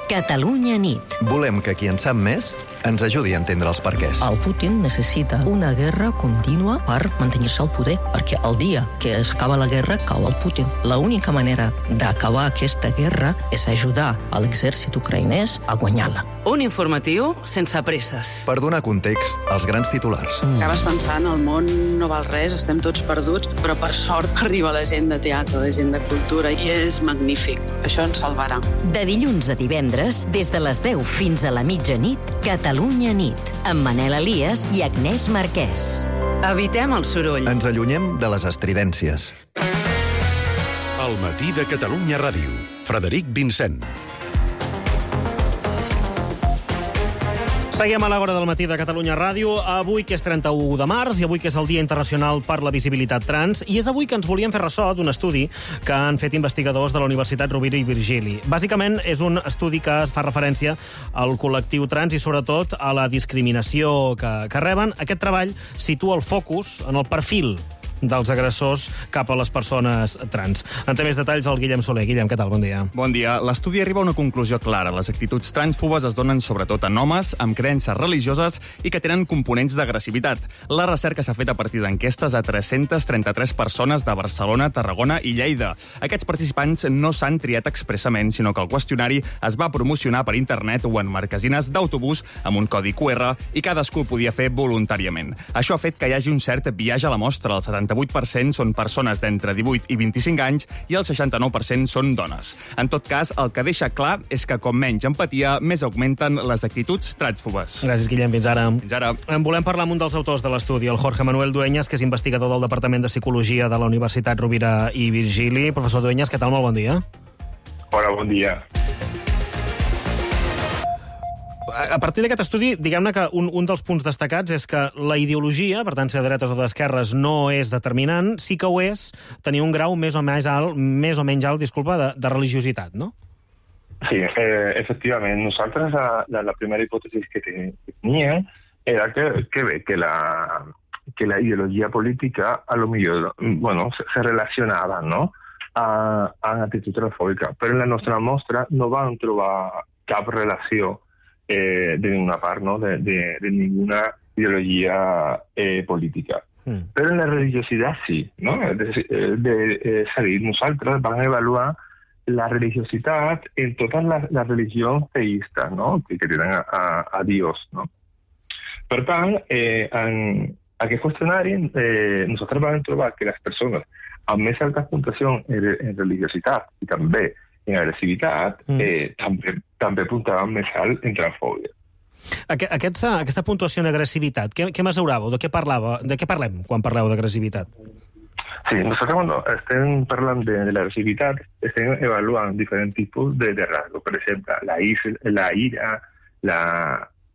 Catalunya nit. Volem que qui en sap més ens ajudi a entendre els perquès.
El Putin necessita una guerra contínua per mantenir-se al poder, perquè el dia que s'acaba la guerra cau el Putin. L'única manera d'acabar aquesta guerra és ajudar a l'exèrcit ucraïnès a guanyar-la.
Un informatiu sense presses.
Per donar context als grans titulars.
Acabes pensant, el món no val res, estem tots perduts, però per sort arriba la gent de teatre, la gent de cultura, i és magnífic. Això ens salvarà.
De dilluns a divendres, des de les 10 fins a la mitjanit, Catalunya nit, amb Manel Elias i Agnès Marquès.
Evitem el soroll.
Ens allunyem de les estridències.
El matí de Catalunya Ràdio. Frederic Vincent.
Seguim a l'hora del matí de Catalunya Ràdio, avui que és 31 de març i avui que és el Dia Internacional per la Visibilitat Trans, i és avui que ens volíem fer ressò d'un estudi que han fet investigadors de la Universitat Rovira i Virgili. Bàsicament és un estudi que fa referència al col·lectiu trans i sobretot a la discriminació que reben. Aquest treball situa el focus en el perfil dels agressors cap a les persones trans. En té més detalls el Guillem Soler. Guillem, què tal? Bon dia.
Bon dia. L'estudi arriba a una conclusió clara. Les actituds transfobes es donen sobretot en homes amb creences religioses i que tenen components d'agressivitat. La recerca s'ha fet a partir d'enquestes a 333 persones de Barcelona, Tarragona i Lleida. Aquests participants no s'han triat expressament, sinó que el qüestionari es va promocionar per internet o en marquesines d'autobús amb un codi QR i cadascú el podia fer voluntàriament. Això ha fet que hi hagi un cert viatge a la mostra. El 78% són persones d'entre 18 i 25 anys i el 69% són dones. En tot cas, el que deixa clar és que com menys empatia, més augmenten les actituds transfobes.
Gràcies, Guillem. Fins ara.
Fins ara.
En volem parlar amb un dels autors de l'estudi, el Jorge Manuel Dueñas, que és investigador del Departament de Psicologia de la Universitat Rovira i Virgili. Professor Dueñas, què tal? Molt bon dia.
Hola, bon dia.
A partir d'aquest estudi, diguem-ne que un dels punts destacats és que la ideologia, per tant, ser de dretes o d'esquerres, no és determinant, sí que ho és tenir un grau més o menys alt, de religiositat, no?
Sí, efectivament. Nosaltres la primera hipòtesi que teníem era que la ideologia política a lo millor se relacionava, no?, amb actitud transfòbica, però en la nostra mostra no vam trobar cap relació de ninguna part, no?, de ninguna ideologia política. Però en la religiositat sí, no? És a dir, nosaltres vam avaluar la religiositat en totes les religions teistes, no?, que tenen a Dios, no? Per tant, en aquest qüestionari nosaltres vam trobar que les persones amb més alta puntuació en religiositat i també en agressivitat, també puntaven més alt en transfòbia.
Aquesta puntuació en agressivitat, què mesuràveu? De què parlem quan parleu d'agressivitat?
Sí, nosaltres quan estem parlant de l'agressivitat estem avaluant diferents tipus de rasgos. Per exemple, la ira,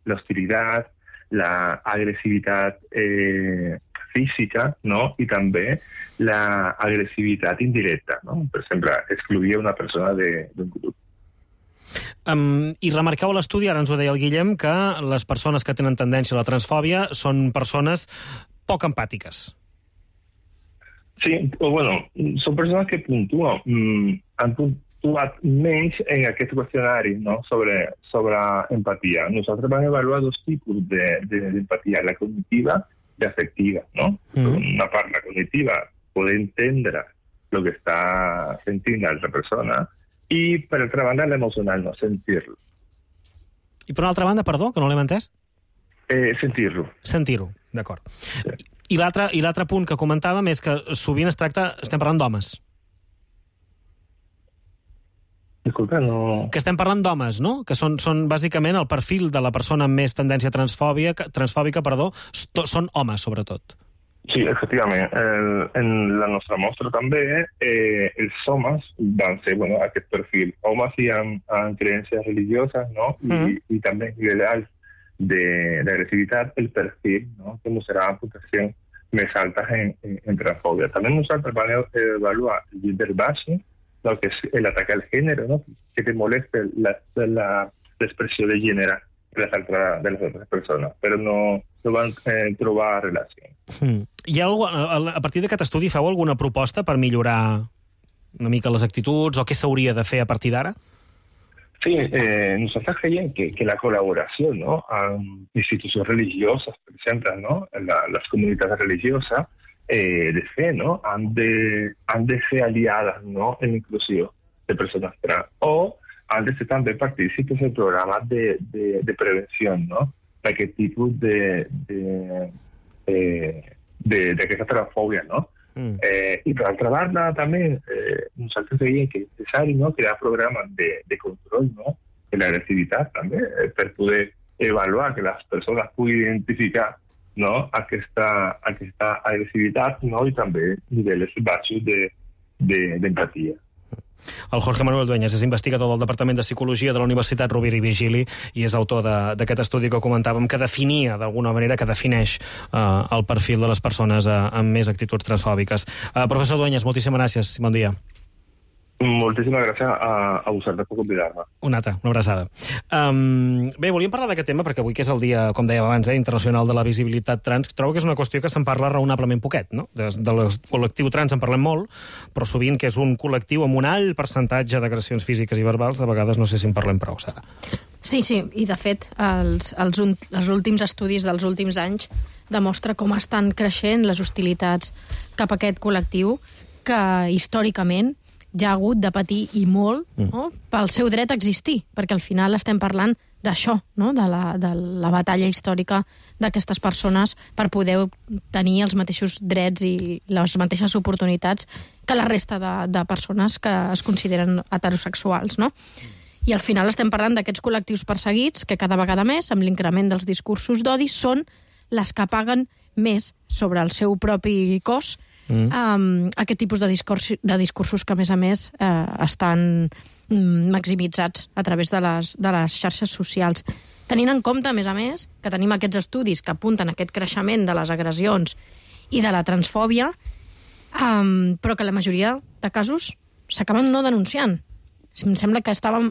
l'hostilitat, l'agressivitat física, no?, i també l'agressivitat indirecta, no? Per exemple, excluir una persona d'un grup.
I remarcau a l'estudi, ara ens ho deia el Guillem, que les persones que tenen tendència a la transfòbia són persones poc empàtiques.
Sí, són persones que han puntuat menys en aquest qüestionari, no?, sobre empatia. Nosaltres vam avaluar dos tipus d'empatia, la cognitiva i afectiva, no? Una part, la cognitiva, poder entendre el que està sentint l'altra persona, i per altra banda l'emocional, no sentir-lo.
I per una altra banda, perdó, que no l'hem entès?
Sentir-lo.
Sentir-ho, d'acord. I l'altre punt que comentàvem és que sovint estem parlant d'homes.
Disculpa, no...
Que estem parlant d'homes, no? Que són bàsicament el perfil de la persona amb més tendència transfòbica, són homes, sobretot.
Sí, efectivament. En la nostra mostra també els homes van ser aquest perfil. Homes i amb creences religioses, no? I també a nivell alt d'agressivitat, el perfil, no? Que mostrarà puntuacions més altes en transfòbia. També nosaltres vam avaluar el gender bashing, lo que es el ataque al género, ¿no? Que te moleste la expresión de género de las otras personas, però no van trobar relació.
Hi ha a partir d'aquest estudi feu alguna proposta per millorar una mica les actituds o què s'hauria de fer a partir d'ara?
Sí, nosaltres creiem que la col·laboració, no? Amb institucions religioses, per exemple, no? Les comunitats religioses, de fe, ¿no? Han de ser aliadas, ¿no? En la inclusión de personas trans. O han de ser también partícipes en programas de prevención, ¿no? De qué tipo de aquesta transfobia, ¿no? Y por otra parte, también nosotros creiem que es necesario, ¿no? Crear programas de control, ¿no? De la agresividad también, para poder evaluar que las personas puedan identificar, no? Aquesta agressivitat, no? I també nivells baixos d'empatia.
El Jorge Manuel Dueñas és investigador del Departament de Psicologia de la Universitat Rovira i Virgili i és autor d'aquest estudi que comentàvem, que definia, d'alguna manera, que defineix el perfil de les persones amb més actituds transfòbiques. Professor Dueñas, moltíssimes gràcies. Bon dia.
Moltíssimes gràcies a vosaltres per convidar-me.
Una abraçada. Bé, volíem parlar d'aquest tema perquè avui, que és el dia, com dèiem abans, internacional de la visibilitat trans, trobo que és una qüestió que se'n parla raonablement poquet, no? Del col·lectiu trans en parlem molt, però sovint que és un col·lectiu amb un alt percentatge d'agressions físiques i verbals, de vegades no sé si en parlem prou, Sara.
Sí, i de fet els últims estudis dels últims anys demostra com estan creixent les hostilitats cap a aquest col·lectiu que històricament ja ha hagut de patir i molt, no? Pel seu dret a existir, perquè al final estem parlant d'això, no? de la batalla històrica d'aquestes persones per poder tenir els mateixos drets i les mateixes oportunitats que la resta de persones que es consideren heterosexuals, no? I al final estem parlant d'aquests col·lectius perseguits que cada vegada més, amb l'increment dels discursos d'odi, són les que paguen més sobre el seu propi cos aquest tipus de discursos que, a més, estan maximitzats a través de les xarxes socials. Tenint en compte, a més, que tenim aquests estudis que apunten a aquest creixement de les agressions i de la transfòbia, però que la majoria de casos s'acaben no denunciant. Em sembla que estàvem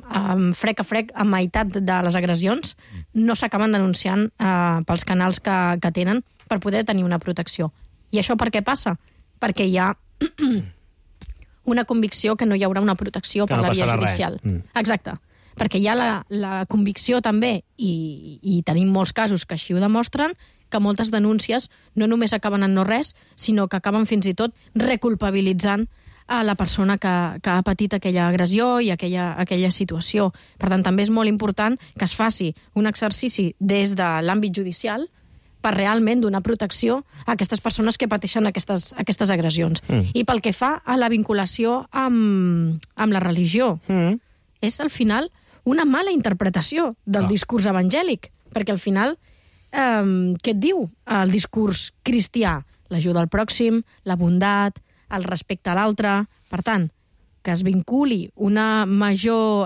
frec a frec a meitat de les agressions, no s'acaben denunciant pels canals que tenen per poder tenir una protecció. I això per què passa? Perquè hi ha una convicció que no hi haurà una protecció per la via judicial. Exacte. Perquè hi ha la convicció també, i tenim molts casos que així ho demostren, que moltes denúncies no només acaben en no res, sinó que acaben fins i tot reculpabilitzant a la persona que ha patit aquella agressió i aquella situació. Per tant, també és molt important que es faci un exercici des de l'àmbit judicial per realment donar protecció a aquestes persones que pateixen aquestes agressions. I pel que fa a la vinculació amb la religió, és al final una mala interpretació del discurs evangèlic, perquè al final què et diu el discurs cristià? L'ajuda al pròxim, la bondat, el respecte a l'altre. Per tant, que es vinculi una major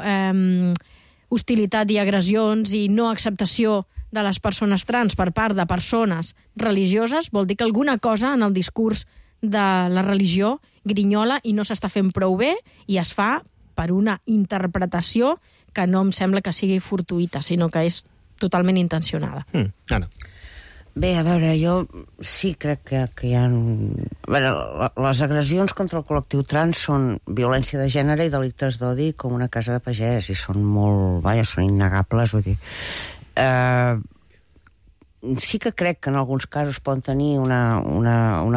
hostilitat i agressions i no acceptació de les persones trans per part de persones religioses vol dir que alguna cosa en el discurs de la religió grinyola i no s'està fent prou bé i es fa per una interpretació que no em sembla que sigui fortuïta, sinó que és totalment intencionada.
Anna.
Bé, a veure, jo sí crec que hi ha... les agressions contra el col·lectiu trans són violència de gènere i delictes d'odi com una casa de pagès, i són molt... són innegables, vull dir... sí que crec que en alguns casos poden tenir una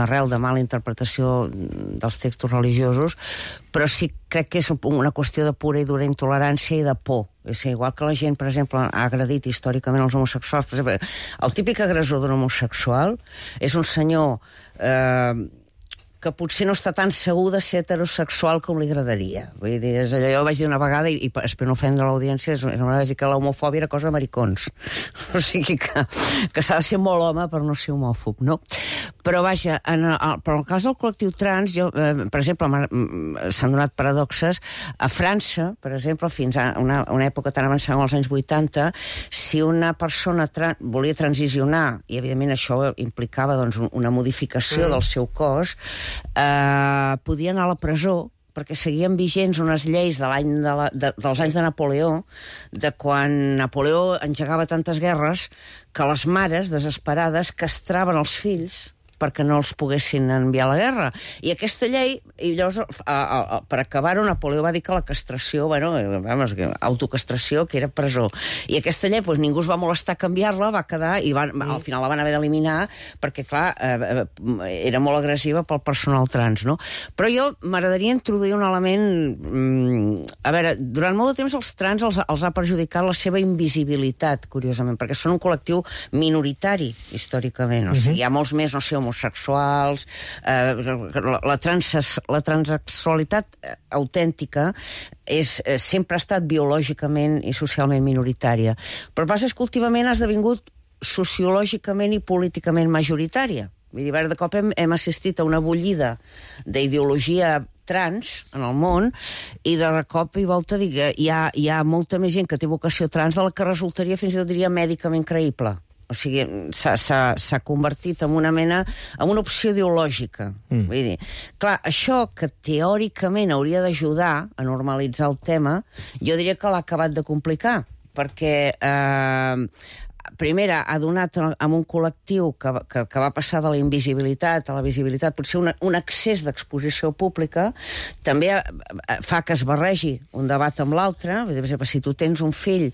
arrel de mala interpretació dels textos religiosos, però sí crec que és una qüestió de pura i dura intolerància i de por. És igual que la gent, per exemple, ha agredit històricament els homosexuals. Per exemple, el típic agressor d'un homosexual és un senyor que potser no està tan segur de ser heterosexual com li agradaria. Vull dir, és allò, jo vaig dir una vegada, i espero no ofendre l'audiència, vaig dir que l'homofòbia era cosa de maricons. O sigui que s'ha de ser molt home per no ser homòfob, no? Però vaja, però en el cas del col·lectiu trans, per exemple, s'han donat paradoxes. A França, per exemple, fins a una època tan avançada als anys 80, si una persona volia transicionar, i evidentment això implicava doncs, una modificació del seu cos, podia anar a la presó, perquè seguien vigents unes lleis dels anys de Napoleó, de quan Napoleó engegava tantes guerres, que les mares, desesperades, castraven els fills perquè no els poguessin enviar a la guerra. I aquesta llei, i llavors, per acabar-ho, Napoleó va dir que la castració, autocastració, que era presó. I aquesta llei, ningú es va molestar a canviar-la, va quedar, i al final la van haver d'eliminar, perquè, clar, era molt agressiva pel personal trans, no? Però jo m'agradaria introduir un element... A veure, durant molt de temps els trans els ha perjudicat la seva invisibilitat, curiosament, perquè són un col·lectiu minoritari, històricament. O sigui, hi ha molts més, no sé, homosexuals, la transsexualitat autèntica sempre ha estat biològicament i socialment minoritària. Però el que passa és que últimament ha esdevingut sociològicament i políticament majoritària. Vull dir, de cop hem assistit a una bullida d'ideologia trans en el món, i de cop i volta hi ha molta més gent que té vocació trans de la que resultaria, fins i tot diria, mèdicament creïble. O sigui, s'ha convertit en una mena, en una opció ideològica. Vull dir, clar, això que teòricament hauria d'ajudar a normalitzar el tema, jo diria que l'ha acabat de complicar, perquè primera, ha donat amb un col·lectiu que va passar de la invisibilitat a la visibilitat, potser un excés d'exposició pública, també fa que es barregi un debat amb l'altre. Per exemple, si tu tens un fill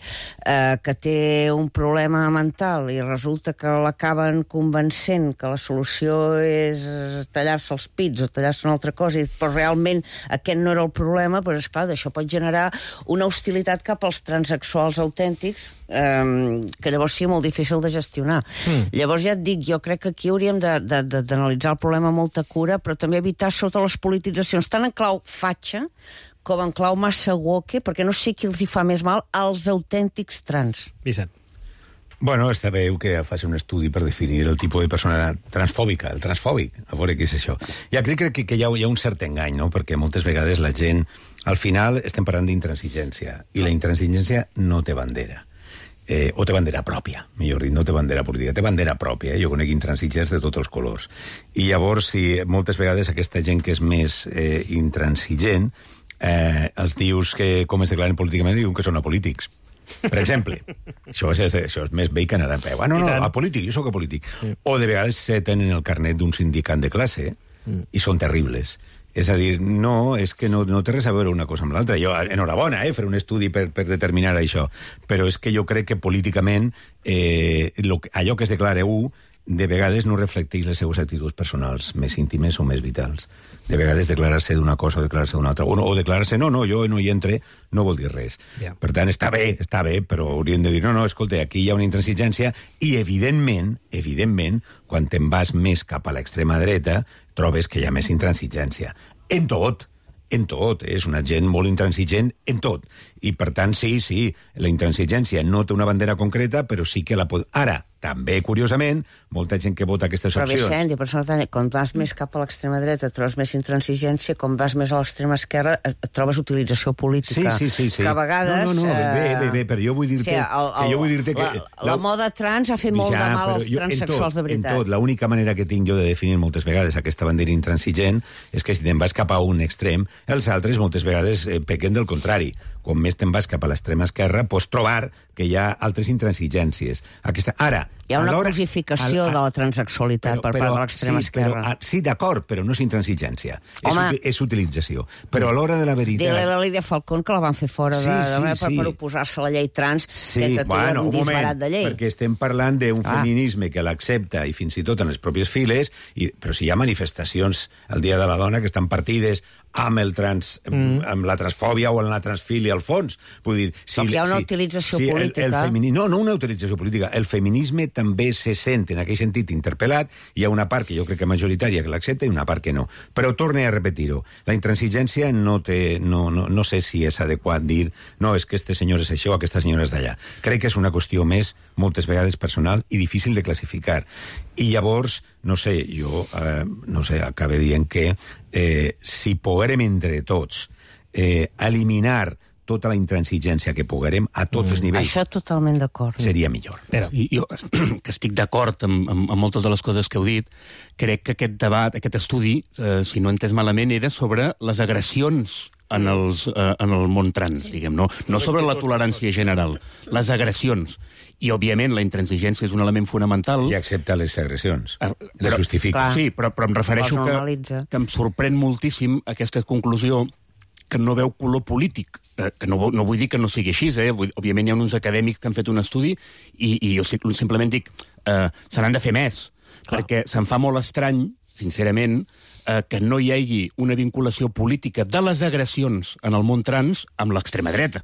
que té un problema mental i resulta que l'acaben convencent que la solució és tallar-se els pits o tallar-se una altra cosa, però realment aquest no era el problema, doncs esclar, d'això pot generar una hostilitat cap als transsexuals autèntics, que llavors sigui molt difícil de gestionar. Llavors ja et dic, jo crec que aquí hauríem d'analitzar el problema amb molta cura, però també evitar sota les polititzacions, tant en clau fatxa com en clau massa woke, perquè no sé qui els hi fa més mal als autèntics trans.
Vicent.
Bueno, està bé que faci un estudi per definir el tipus de persona transfòbica, el transfòbic, a veure què és això. Ja crec que hi ha un cert engany, no?, perquè moltes vegades la gent, al final estem parlant d'intransigència, i la intransigència no té bandera. O té bandera pròpia, millor dit, no té bandera política, té bandera pròpia, jo conec intransigents de tots els colors. I llavors, si moltes vegades aquesta gent que és més intransigent, els dius que com es declaren políticament, diuen que són apolítics. Per exemple, això és més vell que anar a peu. No, apolític, jo sóc apolític. O de vegades tenen el carnet d'un sindicant de classe i són terribles. És a dir, no, és que no té res a veure una cosa amb l'altra. Jo, enhorabona, fer un estudi per determinar això, però és que jo crec que políticament allò que es declara de vegades no reflecteix les seues actituds personals més íntimes o més vitals. De vegades declarar-se d'una cosa o declarar-se d'una altra. O declarar-se, no, jo no hi entre, no vol dir res. Per tant, està bé, però hauríem de dir, no, escolta, aquí hi ha una intransigència i, evidentment, quan te'n vas més cap a l'extrema dreta, trobes que hi ha més intransigència. En tot, és una gent molt intransigent en tot. I, per tant, sí, la intransigència no té una bandera concreta, però sí que la pot... Ara, també, curiosament, molta gent que vota aquestes opcions...
Però, Vicent, quan vas més cap a l'extrema dreta trobes més intransigència, quan vas més a l'extrema esquerra trobes utilització política.
Sí.
Que a vegades...
No, bé, però jo vull dir-te que...
La moda trans ha fet molt de mal als transsexuals de veritat.
En tot, l'única manera que tinc jo de definir moltes vegades aquesta bandera intransigent és que si te'n vas cap a un extrem, els altres moltes vegades pequen del contrari. Com més te'n vas cap a l'extrema esquerra, pots trobar que hi ha altres intransigències. Ara...
Hi ha una cosificació de la transsexualitat per part de l'extrema esquerra.
Sí, d'acord, però no és intransigència. És utilització. Però a l'hora de la veritat...
Dile a la Lídia Falcón que la van fer fora per oposar-se a la llei trans, que té un disbarat de llei.
Perquè estem parlant d'un feminisme que l'accepta, i fins i tot en les pròpies files, però si hi ha manifestacions el Dia de la Dona que estan partides amb la transfòbia o amb la transfília, al fons. Vull dir,
hi ha una utilització política.
No una utilització política. El feminisme també se sent, en aquell sentit, interpel·lat. Hi ha una part que jo crec que majoritària que l'accepta i una part que no. Però torne a repetir-ho. La intransigència no sé si és adequat dir no, és que este senyor és això, aquesta senyora és d'allà. Crec que és una qüestió més, moltes vegades personal i difícil de classificar. I llavors, acabe dient que si poguérem entre tots eliminar tota la intransigència que poguérem a tots els nivells...
Això totalment d'acord.
Seria millor.
Jo, que estic d'acord amb moltes de les coses que heu dit, crec que aquest debat, aquest estudi, si no he entès malament, era sobre les agressions en el món trans, diguem, no sobre la tolerància general, les agressions. I, òbviament, la intransigència és un element fonamental.
I accepta les agressions. Les justifica.
Sí, però em refereixo que em sorprèn moltíssim aquesta conclusió que no veu color polític. Que no vull dir que no sigui així, òbviament hi ha uns acadèmics que han fet un estudi i jo simplement dic se n'han de fer més, perquè se'm fa molt estrany, sincerament, que no hi hagi una vinculació política de les agressions en el món trans amb l'extrema dreta.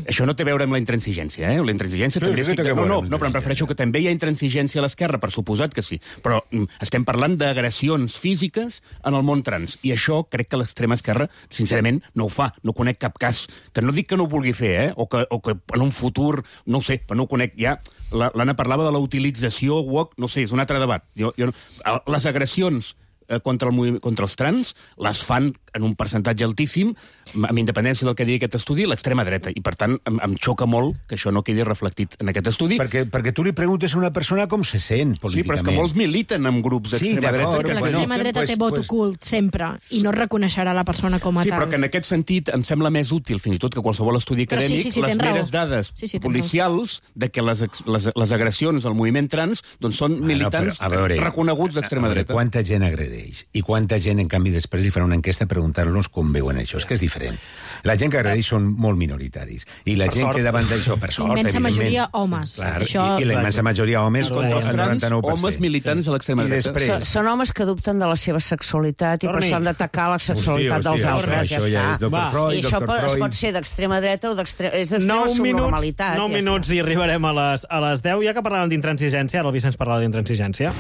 Això no té a veure amb la intransigència, La intransigència també és... No, però em refereixo que també hi ha intransigència a l'esquerra, per suposat que sí. Però estem parlant d'agressions físiques en el món trans. I això crec que l'extrema esquerra, sincerament, no ho fa. No conec cap cas. Que no dic que no ho vulgui fer, o que en un futur... No ho sé, però no ho conec. Ja l'Anna parlava de la utilització woke, no sé, és un altre debat. Les agressions contra els trans les fan en un percentatge altíssim, amb independència del que digui aquest estudi, l'extrema dreta. I, per tant, em xoca molt que això no quedi reflectit en aquest estudi.
Perquè tu li preguntes a una persona com se sent políticament.
Sí, però és que molts militen en grups d'extrema dreta.
Perquè l'extrema dreta té vot ocult sempre i no reconeixerà la persona com a tal.
Sí, però que en aquest sentit em sembla més útil, fins i tot que qualsevol estudi acadèmic, les meres dades policials de que les agressions al moviment trans són militants reconeguts d'extrema dreta.
Quanta gent agredeix i quanta gent, en canvi, després li farà una enquesta preguntar-los com veuen això. És que és diferent. La gent que agredeix són molt minoritaris. I la gent que davant d'això, per sort,
immensa majoria homes.
I la immensa majoria homes contra el 99%.
Homes militants a l'extrema dreta.
Són homes que dubten de la seva sexualitat i per això han d'atacar la sexualitat dels altres.
Això ja és Dr. Freud,
I això pot ser d'extrema dreta o d'extrema... És de la subnormalitat.
9 minuts i arribarem a les 10. Ja que parlàvem d'intransigència, ara el Vicenç parlava d'intransigència.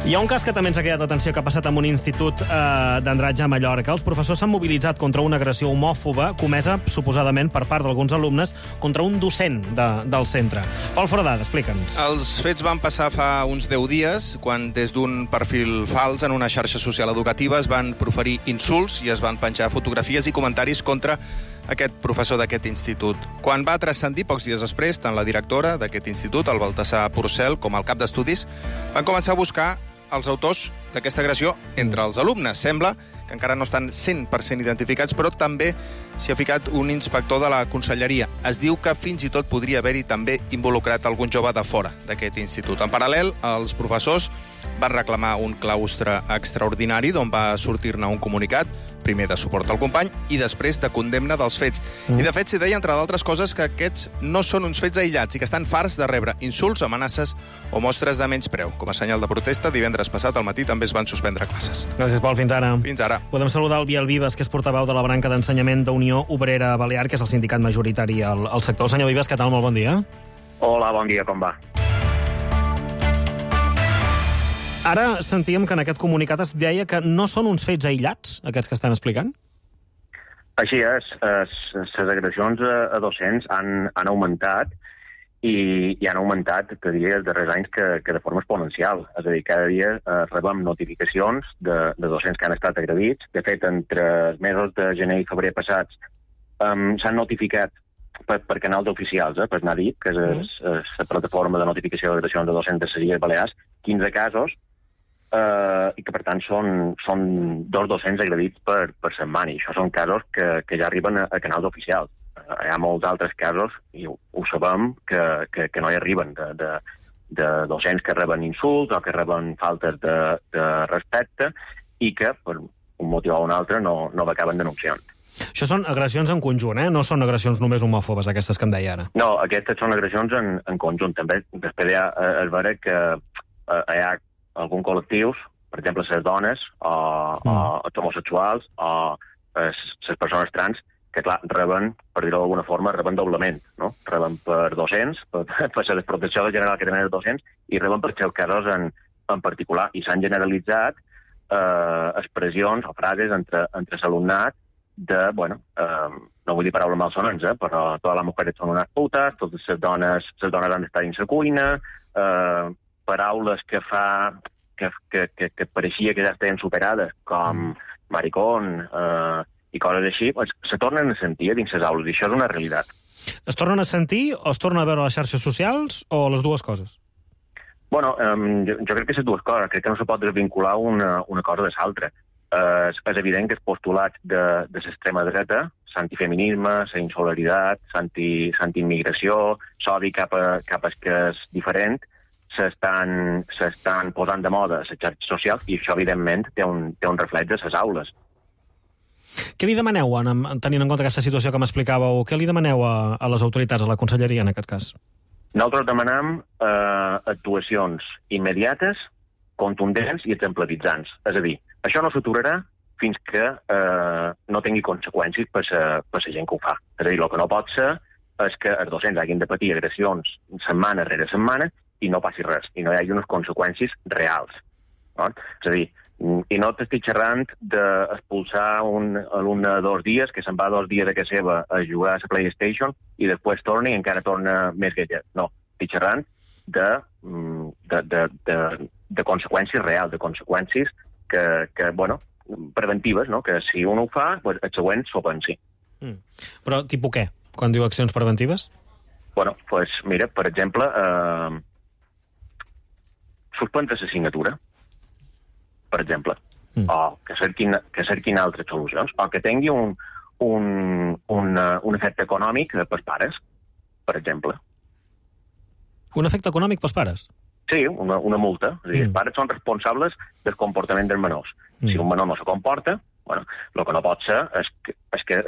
Hi ha un cas que també ens ha cridat l'atenció que ha passat en un institut d'Andratx a Mallorca. Els professors s'han mobilitzat contra una agressió homòfoba comesa, suposadament, per part d'alguns alumnes contra un docent del centre. Pol Foradada, explica'ns.
Els fets van passar fa uns 10 dies, quan des d'un perfil fals en una xarxa social educativa es van proferir insults i es van penjar fotografies i comentaris contra aquest professor d'aquest institut. Quan va transcendir pocs dies després, tant la directora d'aquest institut, el Baltasar Porcel, com el cap d'estudis, van començar a buscar els autors d'aquesta agressió entre els alumnes. Sembla que encara no estan 100% identificats, però també s'hi ha ficat un inspector de la conselleria. Es diu que fins i tot podria haver-hi també involucrat algun jove de fora d'aquest institut. En paral·lel, els professors van reclamar un claustre extraordinari d'on va sortir-ne un comunicat, primer de suport al company i després de condemna dels fets. I de fet s'hi deia, entre d'altres coses, que aquests no són uns fets aïllats i que estan farts de rebre insults, amenaces o mostres de menyspreu. Com a senyal de protesta, divendres passat al matí també es van suspendre classes.
Gràcies, Pol. Fins ara.
Fins ara.
Podem saludar el Biel Vives, que és portaveu de la branca d'ensenyament d'Unió Obrera Balear, que és el sindicat majoritari al sector. El senyor Vives, què tal? Molt bon dia.
Hola, bon dia, com va?
Ara sentíem que en aquest comunicat es deia que no són uns fets aïllats, aquests que estan explicant?
Així és. Les agressions a docents han augmentat i han augmentat, te diria, els darrers anys que de forma exponencial. És a dir, cada dia rebem notificacions de docents que han estat agredits. De fet, entre els mesos de gener i febrer passats s'han notificat per canals oficials, per NADIP, que és la plataforma de notificació d'agressions de docents de les Illes Balears, 15 casos, i que, per tant, són 2 docents agredits per setmana. I això són casos que ja arriben a canals oficials. Hi ha molts altres casos, i ho sabem, que no hi arriben, de docents que reben insults o que reben faltes de respecte i que, per un motiu o un altre, no acaben denunciant.
Això són agressions en conjunt, no són agressions només homòfobes, aquestes que em deia ara.
No, aquestes són agressions en conjunt. També després hi ha es veure que hi ha alguns col·lectius, per exemple, les dones, o els homosexuals, o les persones trans, que clar, reben, per dir-ho d'alguna forma, reben doblement, no? Reben per docents, per la desprotecció general que tenen els docents, i reben per aquests casos en particular. I s'han generalitzat expressions o frases entre l'alumnat de, bueno, no vull dir paraules malsonants, però totes les mujeres són unes putes, totes les dones han d'estar dins la cuina, paraules que pareixia que ja estaven superades, com maricón i coses així, se tornen a sentir dins les aules, i això és una realitat.
Es tornen a sentir o es tornen a veure a les xarxes socials o les dues coses?
Bueno, jo crec que les dues coses. Crec que no se pot desvincular una cosa de l'altra. És evident que els postulats de l'extrema dreta, l'antifeminisme, la insolidaritat, l'antiimmigració, l'odi cap al que és diferent, s'estan posant de moda a les xarxes socials i això, evidentment, té un reflex a les aules.
Què li demaneu, tenint en compte aquesta situació que m'explicàveu, què li demaneu a les autoritats, a la conselleria, en aquest cas?
Nosaltres demanem actuacions immediates, contundents i exemplaritzants. És a dir, això no s'aturarà fins que no tingui conseqüències per la gent que ho fa. És a dir, el que no pot ser és que els docents hagin de patir agressions setmana rere setmana i no passi res, i no hi hagi unes conseqüències reals. No? És a dir, i no t'estic xerrant d'expulsar un alumne 2 dies, que se'n va 2 dies a casa seva a jugar a la PlayStation i després torna i encara torna més guellet. No, estic xerrant de conseqüències reals, de conseqüències que bueno, preventives, no? Que si un ho fa, pues, el següent s'ho pensi.
Però tipus què, quan diu accions preventives?
Bueno, pues mira, per exemple, suspendre l'assignatura, per exemple, o que cerquin altres solucions, o que tingui un efecte econòmic pels pares, per exemple.
Un efecte econòmic pels pares?
Sí, una multa. És a dir, els pares són responsables del comportament dels menors. Si un menor no se comporta, bueno, el que no pot ser és que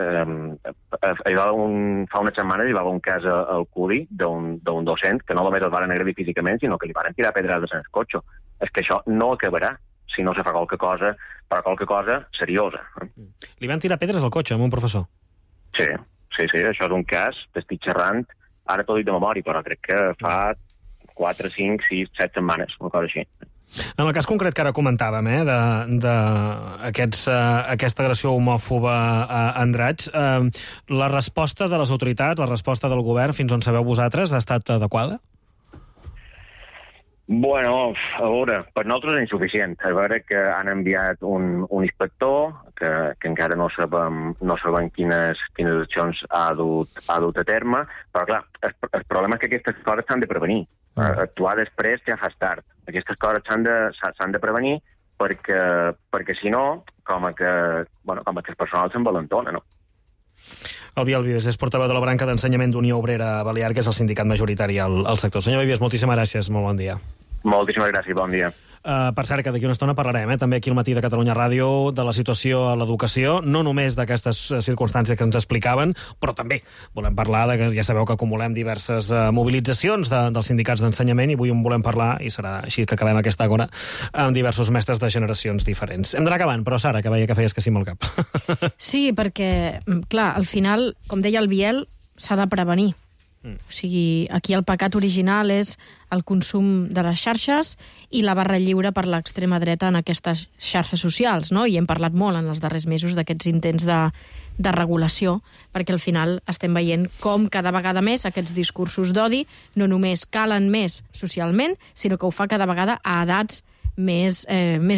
fa unes setmanes hi va haver un cas al CUDI d'un docent que no només el van agredir físicament, sinó que li van tirar pedrades en el cotxe. És que això no acabarà si no se fa qualque cosa seriosa.
Li van tirar pedres al cotxe amb un professor?
Sí, això és un cas, t'estic xerrant, ara t'ho dic de memòria, però crec que fa 4, 5, 6, 7 setmanes, una cosa així.
En el cas concret que ara comentàvem, d'aquesta agressió homòfoba a Andratx, la resposta de les autoritats, la resposta del govern, fins on sabeu vosaltres, ha estat adequada?
Bueno, a veure, per nosaltres és insuficient. A veure que han enviat un inspector que encara no sabem quines accions ha dut a terme, però clar, el problema és que aquestes coses s'han de prevenir. Actuar després ja fas tard. Aquestes coses s'han de prevenir perquè si no, com que el personal s'envalentona, no?
El Biel Vives és portaveu de la branca d'ensenyament d'Unió Obrera Balear, que és el sindicat majoritari al sector. Senyor Vives, moltíssimes gràcies, molt bon dia.
Moltíssimes gràcies, bon dia.
Per cert, que d'aquí una estona parlarem també aquí al Matí de Catalunya Ràdio de la situació a l'educació, no només d'aquestes circumstàncies que ens explicaven, però també volem parlar de que ja sabeu que acumulem diverses mobilitzacions dels sindicats d'ensenyament i avui en volem parlar, i serà així que acabem aquesta agora, amb diversos mestres de generacions diferents. Hem d'anar acabant, però Sara, que veia que feies que sí amb el cap.
Sí, perquè, clar, al final, com deia el Biel, s'ha de prevenir. O sigui, aquí el pecat original és el consum de les xarxes i la barra lliure per l'extrema dreta en aquestes xarxes socials, no? I hem parlat molt en els darrers mesos d'aquests intents de regulació, perquè al final estem veient com cada vegada més aquests discursos d'odi no només calen més socialment, sinó que ho fa cada vegada a edats més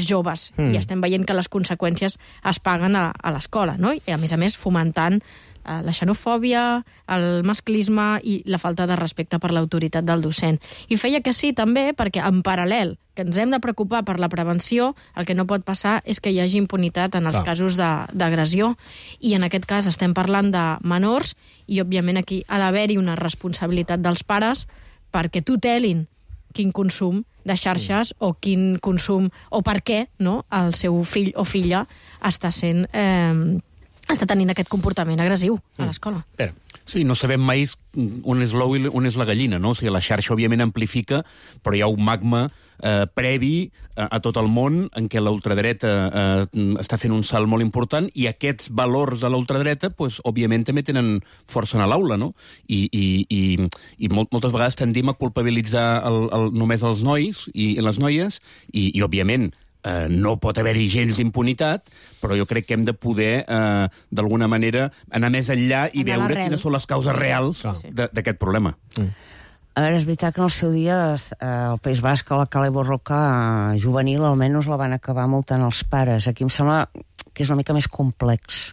joves. I estem veient que les conseqüències es paguen a l'escola, no? I a més fomentant la xenofòbia, el masclisme i la falta de respecte per l'autoritat del docent. I feia que sí, també, perquè en paral·lel que ens hem de preocupar per la prevenció, el que no pot passar és que hi hagi impunitat en els casos d'agressió. I en aquest cas estem parlant de menors i, òbviament, aquí ha d'haver-hi una responsabilitat dels pares perquè tutelin quin consum de xarxes o quin consum o per què, no, el seu fill o filla està sent està tenint aquest comportament agressiu a l'escola.
Sí, no sabem mai on és l'ou i on és la gallina, no? O sigui, la xarxa, òbviament, amplifica, però hi ha un magma previ a tot el món en què la ultradreta està fent un salt molt important i aquests valors de la ultradreta, pues, òbviament, també tenen força a l'aula, no? I moltes vegades tendim a culpabilitzar només els nois i les noies i òbviament, no pot haver-hi gens d'impunitat, però jo crec que hem de poder, d'alguna manera, anar més enllà i veure quines són les causes reals d'aquest problema.
A veure, és veritat que en el seu dia al País Basc, a la Cala Borroca juvenil, almenys la van acabar multant els pares. Aquí em sembla que és una mica més complex.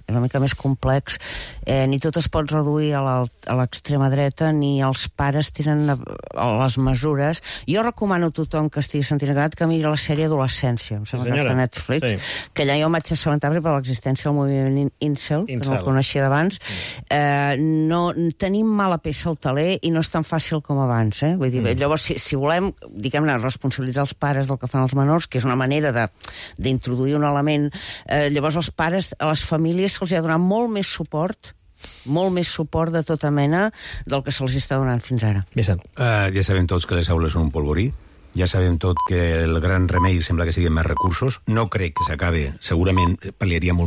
Ni tot es pot reduir a l'extrema dreta, ni els pares tiren les mesures. Jo recomano a tothom que estigui sentint agradat que miri la sèrie Adolescència, em sembla que és de Netflix, que allà jo vaig assabentar per l'existència del moviment Incel, que no el coneixia d'abans. No tenim mala peça al taler i no és tan fàcil com abans. Vull dir, llavors, si volem, diguem-ne, responsabilitzar els pares del que fan els menors, que és una manera d'introduir un element, llavors els pares, a les famílies se'ls ha donat molt més suport de tota mena del que se'ls està donant fins ara.
Ja sabem tots que les aules són un polvorí, ja sabem tot que el gran remei sembla que siguin més recursos, no crec que s'acabe, segurament pal·liaria molt